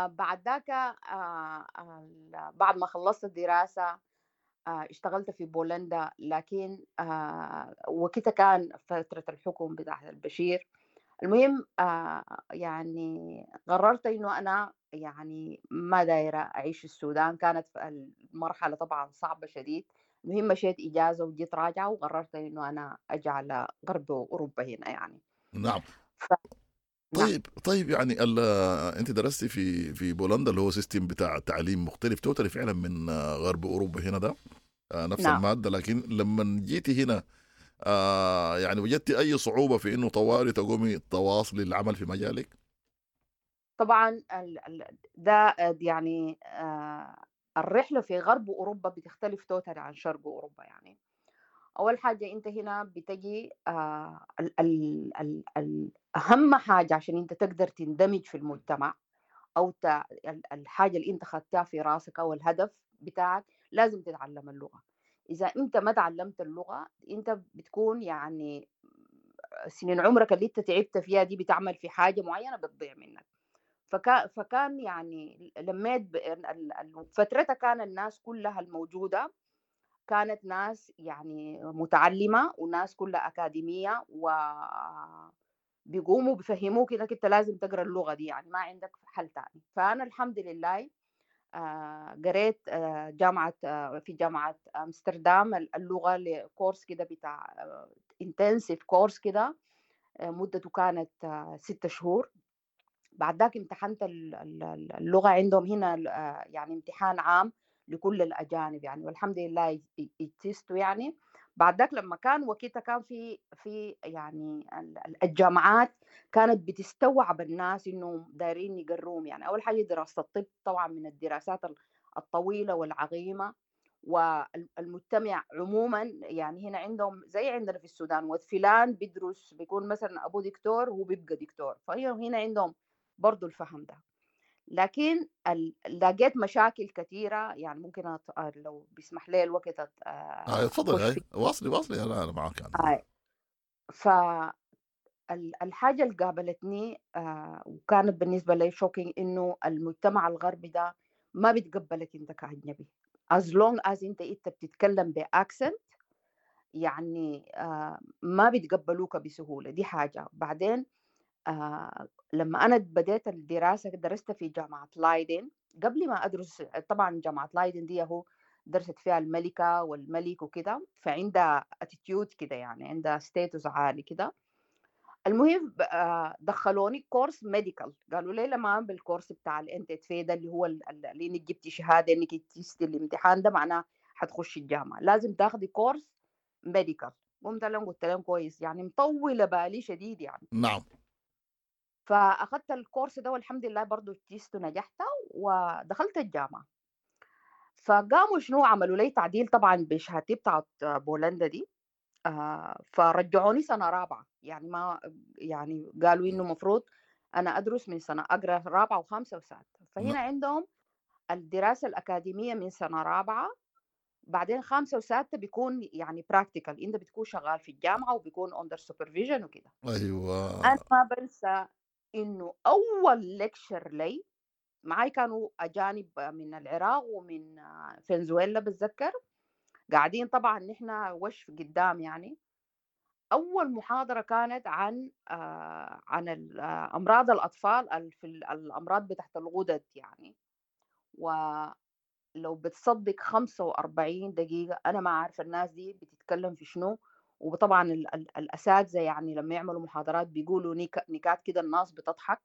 بعد ذاك بعد ما خلصت الدراسة اشتغلت في بولندا، لكن وقتها كان فترة الحكم بتاع البشير. المهم يعني قررت إنه أنا يعني ما دايرة أعيش في السودان، كانت المرحلة طبعا صعبة شديد. المهم مشيت إجازة وجيت راجعة، وقررت إنه أنا أجي على غرب أوروبا هنا يعني. نعم. طيب يعني أنت درستي في بولندا اللي هو system بتاع تعليم مختلف totally فعلا من غرب أوروبا هنا ده، نفس نعم. المادة، لكن لما جيتي هنا يعني وجدتي أي صعوبة في إنه طوالي تقومي تواصلي العمل في مجالك؟ طبعا ده يعني الرحلة في غرب أوروبا بتختلف totally عن شرق أوروبا. يعني أول حاجة أنت هنا بتجي أهم حاجة عشان أنت تقدر تندمج في المجتمع، أو الحاجة اللي أنت خدتها في راسك أو الهدف بتاعك، لازم تتعلم اللغة. إذا أنت ما تعلمت اللغة أنت بتكون يعني سنين عمرك اللي أنت تعبت فيها دي بتعمل في حاجة معينة بتضيع منك. فكان يعني لميت فترتها كان الناس كلها الموجودة كانت ناس يعني متعلمة وناس كلها أكاديمية، و بيقوموا بيفهموك إنك أنت لازم تقرأ اللغة دي، يعني ما عندك حل تاني. فأنا الحمد لله قريت جامعة في جامعة أمستردام اللغة لكورس كده بتاع intensive course كده، مدته كانت 6 شهور. بعد ذاك امتحنت اللغة عندهم هنا، يعني امتحان عام لكل الأجانب يعني، والحمد لله اجتزتوا يعني. بعد ذاك لما كان وقتها كان في يعني الجامعات كانت بتستوعب الناس إنه دايرين يقروهم يعني. أول حاجة دراسة الطب طبعا من الدراسات الطويلة والعظيمة، والمجتمع عموما يعني هنا عندهم زي عندنا في السودان، وفلان بيدرس بيكون مثلا أبو دكتور وهو بيبقى دكتور، فهي هنا عندهم برضو الفهم ده. لكن لقيت مشاكل كثيرة يعني، ممكن لو بيسمح لي الوقت تفضل. هاي واصلي أنا معك يعني. فالحاجة اللي قابلتني وكانت بالنسبة لي shocking، إنه المجتمع الغربي ده ما بيتقبلك أنت كأجنبي as long as أنت بتتكلم ب accent يعني، ما بيتقبلوك بسهولة. دي حاجة. بعدين لما أنا بديت الدراسة درست في جامعة لايدن. قبل ما أدرس طبعا جامعة لايدن دي هو درست فيها الملكة والملك وكده، فعندها attitude كده يعني، عندها status عالي كده. المهم دخلوني course medical، قالوا لي لما بالكورس بتاع ال NT2 ده اللي هو اللي انك جبتي شهادة انك اجتزتي الامتحان ده معناه حتخشي الجامعة، لازم تاخدي course medical. قمت لهم قلت لهم كويس يعني، مطولة بالي شديد يعني. نعم. فأخذت الكورس ده والحمد لله برضو اجتزت ونجحت ودخلت الجامعة. فقاموا شنو عملوا لي تعديل طبعا بشهادتي بتاعت بولندا دي، فرجعوني سنة رابعة يعني، ما يعني قالوا إنه مفروض أنا أدرس من سنة أقرأ رابعة وخامسة وسادسة. فهنا عندهم الدراسة الأكاديمية من سنة رابعة، بعدين خامسة وسادسة بيكون يعني practical، أنت بتكون شغال في الجامعة وبيكون under supervision وكده. أيوة. أنا ما بنسى إنه أول lecture لي معاي كانوا أجانب من العراق ومن فنزويلا بتذكر، قاعدين طبعا نحن وش قدام يعني. أول محاضرة كانت عن عن أمراض الأطفال في الأمراض بتاعت الغدد يعني. ولو بتصدق 45 دقيقة أنا ما عارفة الناس دي بتتكلم في شنو. وطبعا الأساتذة يعني لما يعملوا محاضرات بيقولوا نكات كده الناس بتضحك،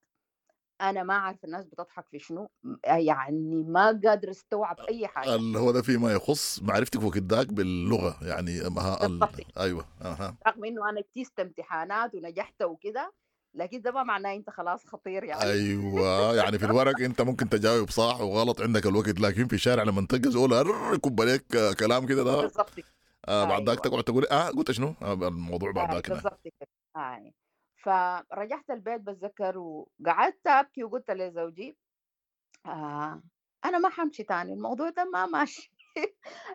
أنا ما عارفة الناس بتضحك في شنو يعني، ما قادر استوعب أي حاجة. اللي هو ده فيما يخص معرفتك وكداك باللغة يعني. أيوة. رغم إنه أنا اجتزت امتحانات ونجحت وكده، لكن ده ما معناه أنت خلاص خطير يعني. أيوة يعني في الورق أنت ممكن تجاوب صح وغلط عندك الوقت، لكن في الشارع لما تلقى زول يكب عليك كلام كده ده بالضبط. بعد ذاك تقعد تقول قلت شنو الموضوع بعد ذاك. بالضبط كده. فرجعت البيت بتذكر وقعدت أبكي وقلت لزوجي أنا ما حمشي تاني، الموضوع ده ما ماشي.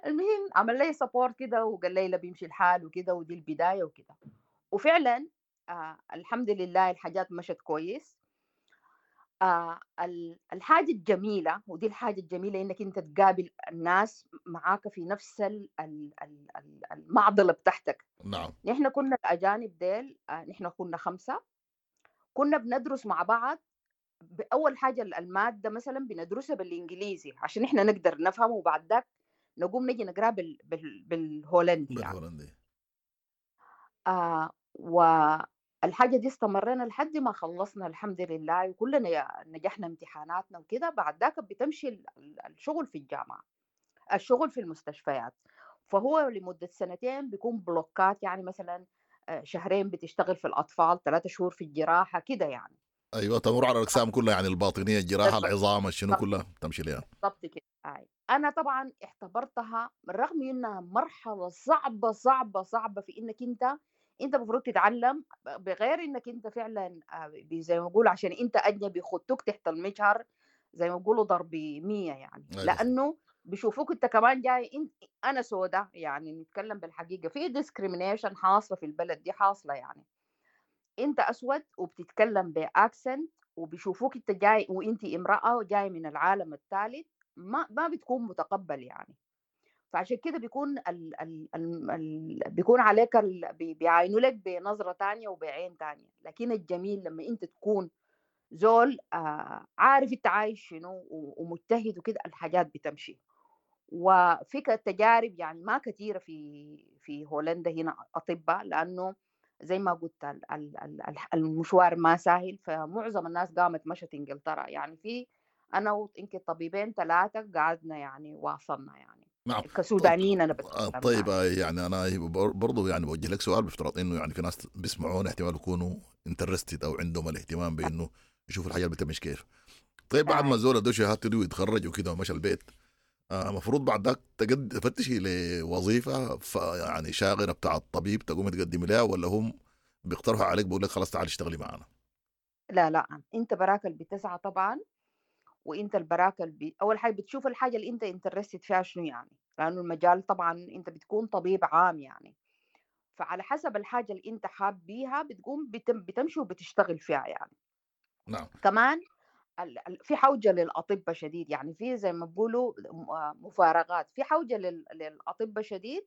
المهم عمل لي support كده وقال لي لا بيمشي الحال وكده، ودي البداية وكده. وفعلا الحمد لله الحاجات مشت كويس. الحاجة الجميلة، ودي الحاجة الجميلة، إنك أنت تقابل الناس معاك في نفس المعضلة بتاعتك. نعم. نحن كنا الأجانب ديل، نحن كنا 5، كنا بندرس مع بعض. أول حاجة المادة مثلا بندرسها بالإنجليزي عشان نحن نقدر نفهم، وبعد ذاك نقوم نجي نقرأ بالهولندي يعني. بالهولندي. والحاجة دي استمرينا لحد ما خلصنا الحمد لله، وكلنا نجحنا امتحاناتنا وكده. بعد ذاك بتمشي الشغل في الجامعة، الشغل في المستشفيات. فهو لمدة 2 سنين بيكون بلوكات يعني، مثلا 2 شهر بتشتغل في الأطفال، 3 شهور في الجراحة كده يعني. أيوة، تمر على الأقسام كلها يعني، الباطنية، الجراحة، العظام، الشنو كلها تمشي لها. بالضبط كده. انا طبعا اعتبرتها رغم انها مرحلة صعبة صعبة صعبة في انك انت المفروض تتعلم، بغير انك انت فعلا زي ما بيقولوا عشان انت اجنبي خدتوك تحت المجهر زي ما بيقولوا ضرب 100 يعني. أيوة. لانه بيشوفوك انت كمان جاي انت انا سودا، يعني نتكلم بالحقيقة في discrimination حاصله في البلد دي، حاصله يعني انت اسود وبتتكلم ب accent وبيشوفوك انت جاي وانت امراة وجاي من العالم الثالث، ما بتكون متقبل يعني. فعشان كده بيكون ال ال ال ال بيكون عليك بيعاينوا لك بنظرة تانية وبعين تانية. لكن الجميل لما انت تكون زول عارف انت عايش شنو ومجتهد وكده، الحاجات بتمشي. وفي تجارب يعني ما كثيرة في هولندا هنا أطباء، لأنه زي ما قلت المشوار ما سهل، فمعظم الناس قامت مشت إنجلترا يعني. في أنا ويمكن طبيبين 3 قعدنا يعني واصلنا يعني. نعم. كسودانيين أنا بتكلم. طيب يعني أنا برضو يعني بوجه لك سؤال، بافتراض إنه يعني في ناس بيسمعونا احتمال يكونوا interested أو عندهم الاهتمام بإنه يشوفوا الحاجة بتمشي كيف. طيب بعد ما زول ادوه شهادته دي ويتخرج وكده ومشى البيت، المفروض بعد ذاك تفتشي لوظيفة يعني شاغرة بتاع الطبيب تقوم تقدمي لها، ولا هم بيقترحوا عليك بيقول لك خلاص تعال اشتغلي معنا؟ لا لا، انت براك اللي بتسعى طبعا، وانت البراك اللي اول حاجة بتشوف الحاجة اللي انت interested فيها شنو يعني، لانه المجال طبعا انت بتكون طبيب عام يعني، فعلى حسب الحاجة اللي انت حاب بيها بتقوم بتمشي وبتشتغل فيها يعني. نعم. كمان في حوجة للأطباء شديد يعني، في زي ما بيقولوا مفارقات، في حوجة للأطباء شديد،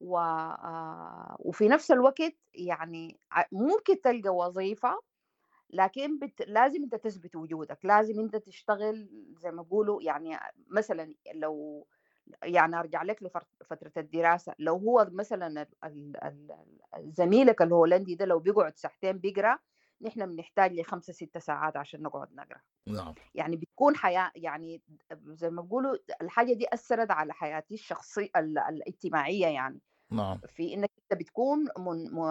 وفي نفس الوقت يعني ممكن تلقى وظيفة، لكن لازم انت تثبت وجودك، لازم انت تشتغل زي ما بيقولوا يعني. مثلا لو يعني ارجع لك لفترة الدراسة، لو هو مثلا زميلك الهولندي ده لو بيقعد ساعتين بيقرأ، نحن بنحتاج ل5-6 ساعات عشان نقعد نقرأ. نعم. يعني بتكون حياة يعني زي ما بيقولوا الحاجة دي أثرت على حياتي الشخصية الاجتماعية يعني. نعم. في إنك أنت بتكون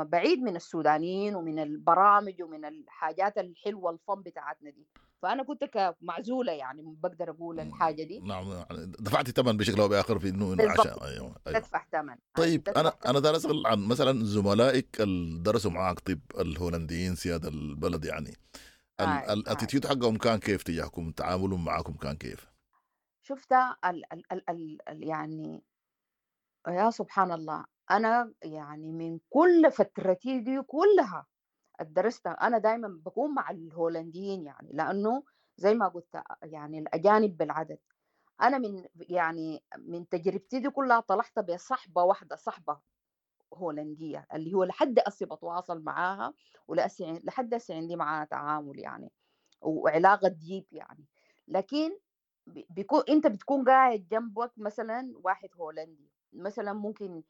بعيد من السودانيين ومن البرامج ومن الحاجات الحلوة الفن بتاعتنا دي، فأنا كنت كمعزولة يعني بقدر أقول الحاجة دي. نعم، دفعت ثمن بشكل أو بآخر في إنه عشان أيوة. أيوة. تدفع ثمن. طيب أنا دار أسأل عن مثلا زملائك اللي درسوا معاك طب الهولنديين سيادة البلد يعني، ال attitude حقهم كان كيف تجاهكم، تعاملهم معاكم كان كيف؟ شفت ال يعني يا سبحان الله، أنا يعني من كل فترتي دي كلها درستها أنا دايما بكون مع الهولنديين يعني، لأنه زي ما قلت يعني الأجانب بالعدد. أنا من يعني من تجربتي دي كلها طلعت بصحبة واحدة، صحبة هولندية اللي هو لحد أسي بتواصل معاها، ولحد أسي عندي معاها تعامل يعني وعلاقة ديب يعني. لكن بيكون أنت بتكون قاعد جنبك مثلا واحد هولندي مثلا، ممكن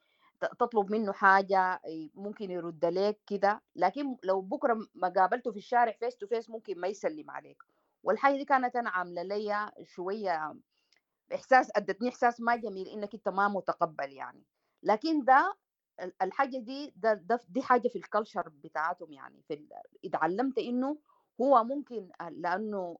تطلب منه حاجة ممكن يرد لك كده، لكن لو بكرة ما قابلته في الشارع face to face ممكن ما يسلم عليك. والحاجة دي كانت أنا عاملة لي شوية إحساس، أدتني إحساس ما جميل إنك أنت ما متقبل يعني. لكن ده الحاجة دي ده دي حاجة في ال culture بتاعتهم يعني. في اتعلمت إنه هو ممكن لأنه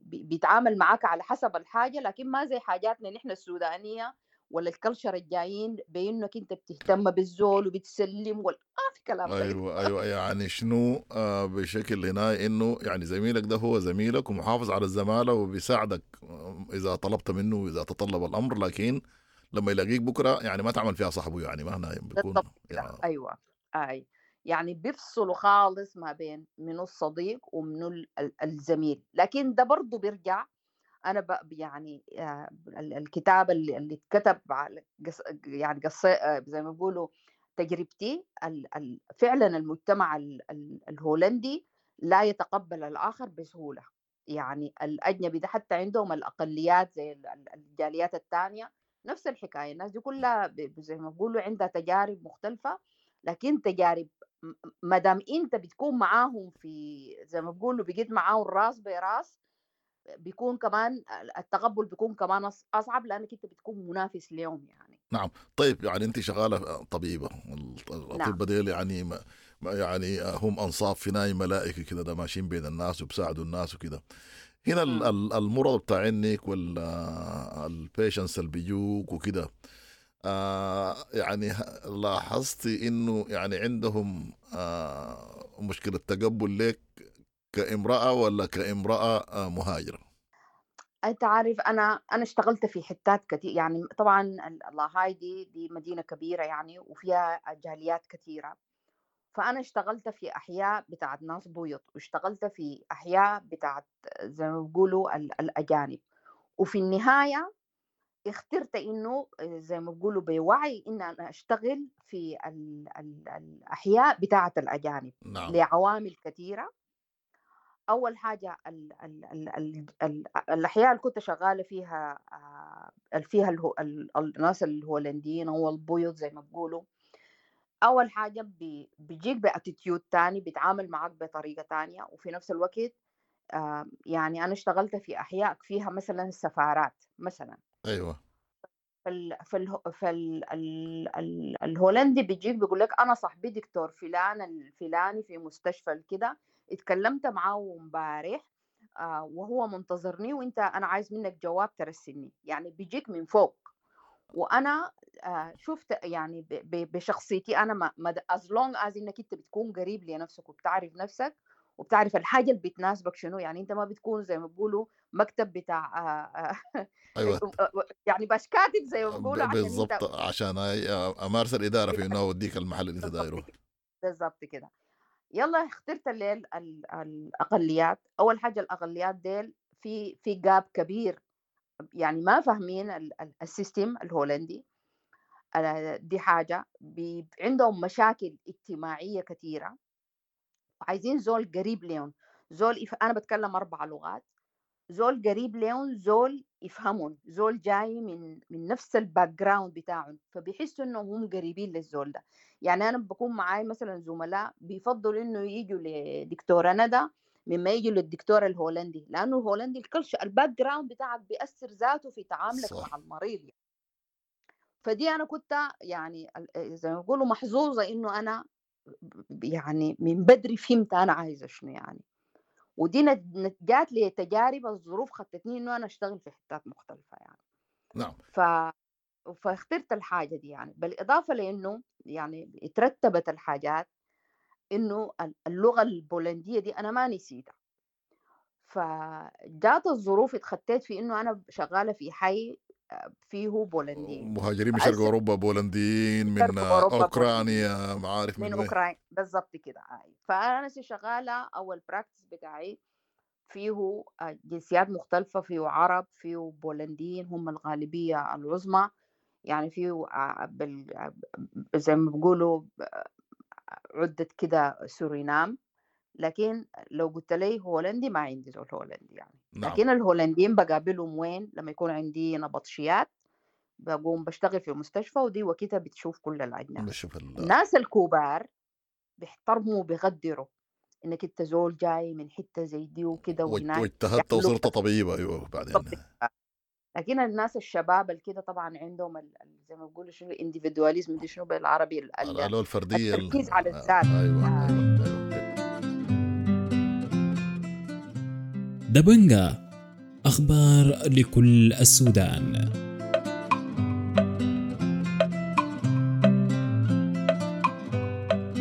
بيتعامل معاك على حسب الحاجة، لكن ما زي حاجاتنا نحن السودانية ولا ال culture الجايين بانك انت بتهتم بالزول وبتسلم ولا ما في كلام. ايوه ايوه، يعني شنو بشكل هنا انه يعني زميلك ده هو زميلك ومحافظ على الزمالة وبيساعدك اذا طلبت منه واذا تطلب الامر، لكن لما يلاقيك بكره يعني ما تعمل فيها صاحبه يعني، ما هنا بيكون يعني. ايوه اي يعني بيفصلوا خالص ما بين منو الصديق ومنو الزميل. لكن ده برضه بيرجع أنا يعني الكتاب اللي اتكتب على يعني قصة زي ما بيقولوا تجربتي، فعلا المجتمع الهولندي لا يتقبل الآخر بسهولة يعني. الأجنبي ده حتى عندهم الأقليات زي الجاليات الثانية نفس الحكاية، الناس دي كلها زي ما بيقولوا عندها تجارب مختلفة، لكن تجارب ما دام أنت بتكون معاهم في زي ما بيقولوا بقيت معاهم راس براس، بيكون كمان التقبل بيكون كمان أصعب لأنك أنت بتكون منافس ليهم يعني. نعم. طيب يعني أنت شغالة طبيبة، الأطباء ديل يعني يعني هم أنصاف في ناي ملائكة كده، ده ماشيين بين الناس وبساعدوا الناس وكده. هنا المرض بتاع عينك وال patients اللي بيجوك وكده، يعني لاحظتي انه يعني عندهم مشكلة تقبل لك كامرأة ولا كامرأة مهاجرة؟ انت عارف انا اشتغلت في حتات كتير يعني، طبعا لاهاي دي مدينة كبيرة يعني وفيها جاليات كثيرة، فانا اشتغلت في احياء بتاعت ناس بيض، واشتغلت في احياء بتاعت زي ما بيقولوا الاجانب، وفي النهاية اخترت انه زي ما بيقولوا بوعي ان انا اشتغل في الاحياء بتاعت الاجانب. نعم. لعوامل كثيرة. اول حاجة ال ال ال ال ال الاحياء اللي كنت شغالة فيها فيها الناس الهولنديين او البيض زي ما بيقولوا، اول حاجة بيجيك ب attitude تاني، بيتعامل معك بطريقة تانية، وفي نفس الوقت يعني انا اشتغلت في احياء فيها مثلا سفارات مثلا. ايوه. الهولندي بيجيك بيقول لك انا صاحبي دكتور فلان الفلاني في مستشفى كده، اتكلمت معاه امبارح وهو منتظرني، وانت انا عايز منك جواب ترسلني، يعني بيجيك من فوق. وانا شفت يعني بشخصيتي انا ما as long as انك انت بتكون قريب لنفسك وبتعرف نفسك وبتعرف الحاجة اللي بتناسبك شنو، يعني انت ما بتكون زي ما بيقولوا مكتب بتاع ايوه يعني باش كاتب زي ما بيقولوا، عشان بالضبط، عشان امارس الادارة في انه اوديك المحل اللي انت دايرة. بالضبط كده. يلا اخترت الليل الاقليات. اول حاجة الاقليات ديل في gap كبير، يعني ما فاهمين ال system الهولندي، دي حاجة. عندهم مشاكل اجتماعية كثيرة، عايزين زول قريب لهم، زول انا بتكلم 4 لغات، زول قريب لهم، زول يفهمهم، زول جاي من نفس ال background بتاعهم، فبيحسوا انهم هم قريبين للزول ده. يعني انا بكون معاي مثلا زملاء بيفضلوا انه يجوا لدكتوره ندى مما يجوا للدكتور الهولندي، لانه الهولندي ال culture ال background بتاعك بيأثر ذاته في تعاملك صح. مع المريض يعني. فدي انا كنت يعني زي ما بيقولوا محظوظة انه انا يعني من بدري فهمت انا عايزه شنو يعني، ودي جات لي تجارب الظروف خطتني انه انا اشتغل في حتات مختلفة يعني. نعم. فاخترت الحاجة دي يعني، بالاضافة لانه يعني اترتبت الحاجات انه اللغة البولنديه دي انا ما نسيتها، فجات الظروف اتخطيت في انه انا شغالة في حي فيه بولنديين، مهاجرين من شرق اوروبا، بولنديين من اوكرانيا، معارف من اوكرانيا بالضبط كده. فانا شغالة اول practice بتاعي فيه جنسيات مختلفة، فيه عرب، فيه بولنديين هم الغالبية العظمى يعني، فيه زي ما بيقولوا عده كده سورينام، لكن لو قلت لي هولندي ما عندي زول هولندي يعني. نعم. لكن الهولنديين بقابلهم وين؟ لما يكون عندي نبطشيات بقوم بشتغل في مستشفى، ودي وقتها بتشوف كل الأجناس. الناس الكبار بيحترموا وبيقدروا انك انت زول جاي من حتة زي دي وكده وهناك، واجتهدت وصرت طبيبه. ايوه بعدين. لكن الناس الشباب الكده طبعا عندهم زي ما بيقولوا شنو ال individualism دي شنو بالعربي، الفردية، التركيز على الذات. ايوه ايوه. دبنجا، أخبار لكل السودان.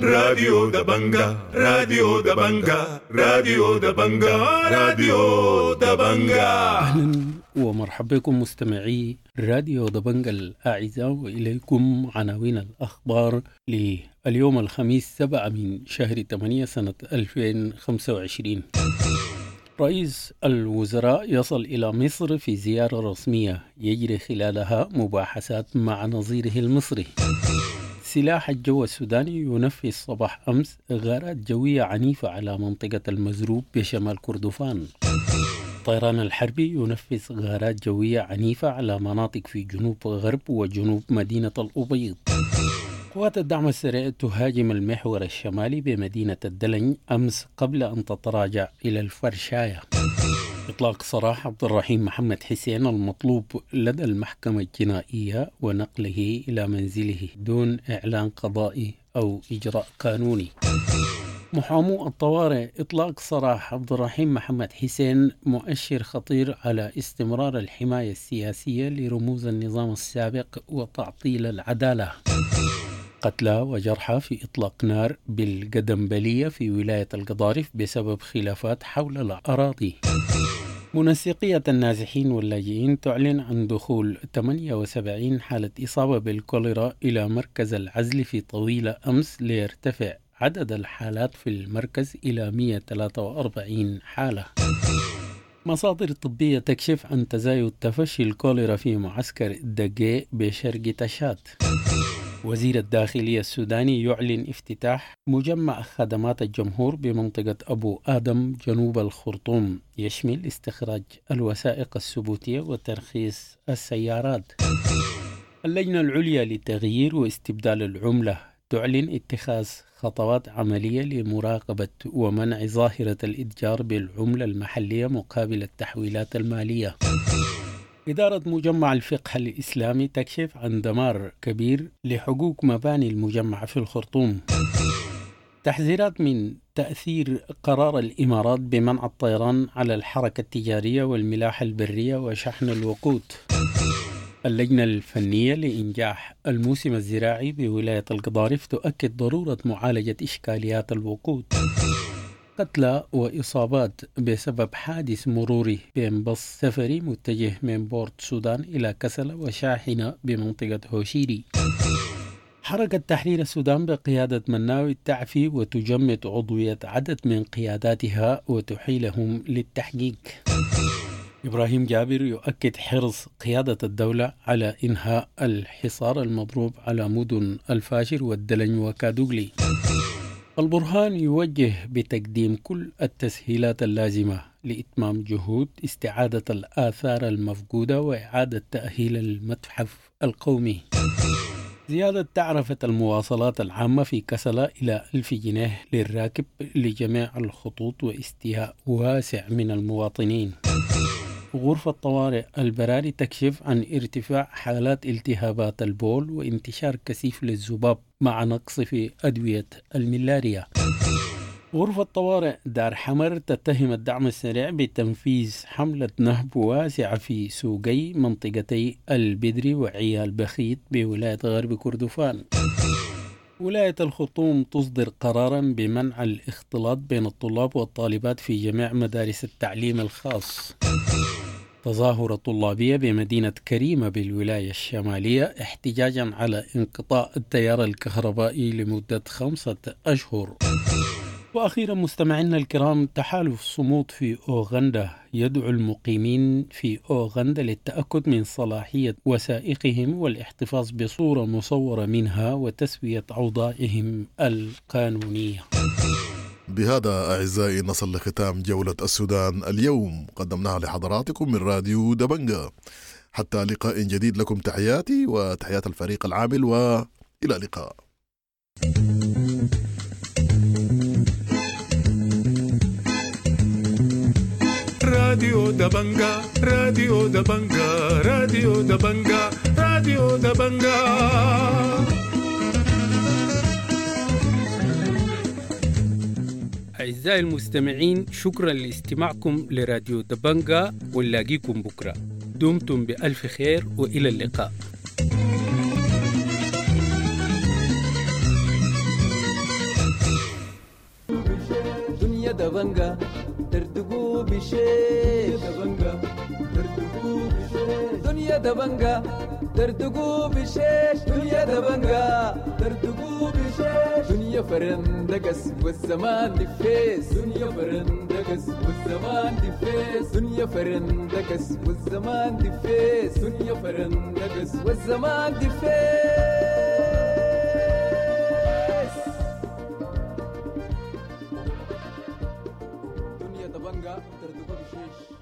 راديو دبنجا، راديو دبنجا، راديو دبنجا، راديو دبنجا. أهلا ومرحبا بكم مستمعي راديو دبنجا الأعزاء، وإليكم عناوين الأخبار لليوم الخميس 7 من شهر 8 سنة 2025. رئيس الوزراء يصل إلى مصر في زيارة رسمية يجري خلالها مباحثات مع نظيره المصري. سلاح الجو السوداني ينفذ صباح أمس غارات جوية عنيفة على منطقة المزروب بشمال كردفان. الطيران الحربي ينفذ غارات جوية عنيفة على مناطق في جنوب غرب وجنوب مدينة الأبيض. قوات الدعم السريع تهاجم المحور الشمالي بمدينة الدلنج أمس قبل أن تتراجع إلى الفرشاية. إطلاق سراح عبد الرحيم محمد حسين المطلوب لدى المحكمة الجنائية ونقله إلى منزله دون إعلان قضائي أو إجراء قانوني. محامو الطوارئ: إطلاق سراح عبد الرحيم محمد حسين مؤشر خطير على استمرار الحماية السياسية لرموز النظام السابق وتعطيل العدالة. قتلى وجرحى في إطلاق نار بالقدمبلية في ولاية القضارف بسبب خلافات حول الأراضي. منسقية النازحين واللاجئين تعلن عن دخول 78 حالة إصابة بالكوليرا إلى مركز العزل في طويلة أمس، ليرتفع عدد الحالات في المركز إلى 143 حالة. مصادر طبية تكشف عن تزايد تفشي الكوليرا في معسكر دقي بشرق تشاد. وزير الداخلية السوداني يعلن افتتاح مجمع خدمات الجمهور بمنطقة أبو آدم جنوب الخرطوم، يشمل استخراج الوثائق الثبوتية وترخيص السيارات. اللجنة العليا لتغيير واستبدال العملة تعلن اتخاذ خطوات عملية لمراقبة ومنع ظاهرة الإتجار بالعملة المحلية مقابل التحويلات المالية. إدارة مجمع الفقه الإسلامي تكشف عن دمار كبير لحقوق مباني المجمع في الخرطوم. تحذيرات من تأثير قرار الإمارات بمنع الطيران على الحركة التجارية والملاحة البرية وشحن الوقود. اللجنة الفنية لإنجاح الموسم الزراعي بولاية القضارف تؤكد ضرورة معالجة إشكاليات الوقود. قتلى وإصابات بسبب حادث مروري بين بص سفري متجه من بورت سودان إلى كسلة وشاحنة بمنطقة هوشيري. حركة تحرير السودان بقيادة مناوي تعفي وتجمد عضوية عدد من قياداتها وتحيلهم للتحقيق. إبراهيم جابر يؤكد حرص قيادة الدولة على إنهاء الحصار المضروب على مدن الفاشر والدلنج وكادوغلي. البرهان يوجه بتقديم كل التسهيلات اللازمة لإتمام جهود استعادة الآثار المفقودة وإعادة تأهيل المتحف القومي. زيادة تعرفة المواصلات العامة في كسلة إلى 1000 جنيه للراكب لجميع الخطوط واستياء واسع من المواطنين. غرفة طوارئ البراري تكشف عن ارتفاع حالات التهابات البول وانتشار كثيف للذباب مع نقص في أدوية الملاريا. غرفة طوارئ دار حمر تتهم الدعم السريع بتنفيذ حملة نهب واسعة في سوقي منطقتي البدري وعيال بخيت بولاية غرب كردفان. ولاية الخرطوم تصدر قرارا بمنع الاختلاط بين الطلاب والطالبات في جميع مدارس التعليم الخاص. تظاهرة طلابية بمدينة كريمة بالولاية الشمالية احتجاجا على انقطاع التيار الكهربائي لمدة 5 أشهر. وأخيرا مستمعينا الكرام، تحالف صمود في أوغندا يدعو المقيمين في أوغندا للتأكد من صلاحية وثائقهم والاحتفاظ بصورة مصورة منها وتسوية أوضاعهم القانونية. بهذا أعزائي نصل لختام جولة السودان اليوم، قدمناها لحضراتكم من راديو دبنجا. حتى لقاء جديد، لكم تحياتي وتحيات الفريق العامل، وإلى اللقاء. راديو دبنجا، راديو دبنجا، راديو دبنجا، راديو دبنجا. أعزائي المستمعين، شكرا لاستماعكم لراديو دبنجا، ونلاقيكم بكرة. دمتم بألف خير وإلى اللقاء. دنيا دبنجا دردقو بشيش، دبنجا دردقو بشيش، دنيا دبنجا دردقو بشيش، دنيا دبنجا دردقو بشيش، دنيا فرندقس والزمان دفيس، دنيا فرندقس والزمان دفيس، دنيا فرندقس والزمان دفيس، دنيا فرندقس والزمان دفيس. دنيا دبنجا دردقو بشيش.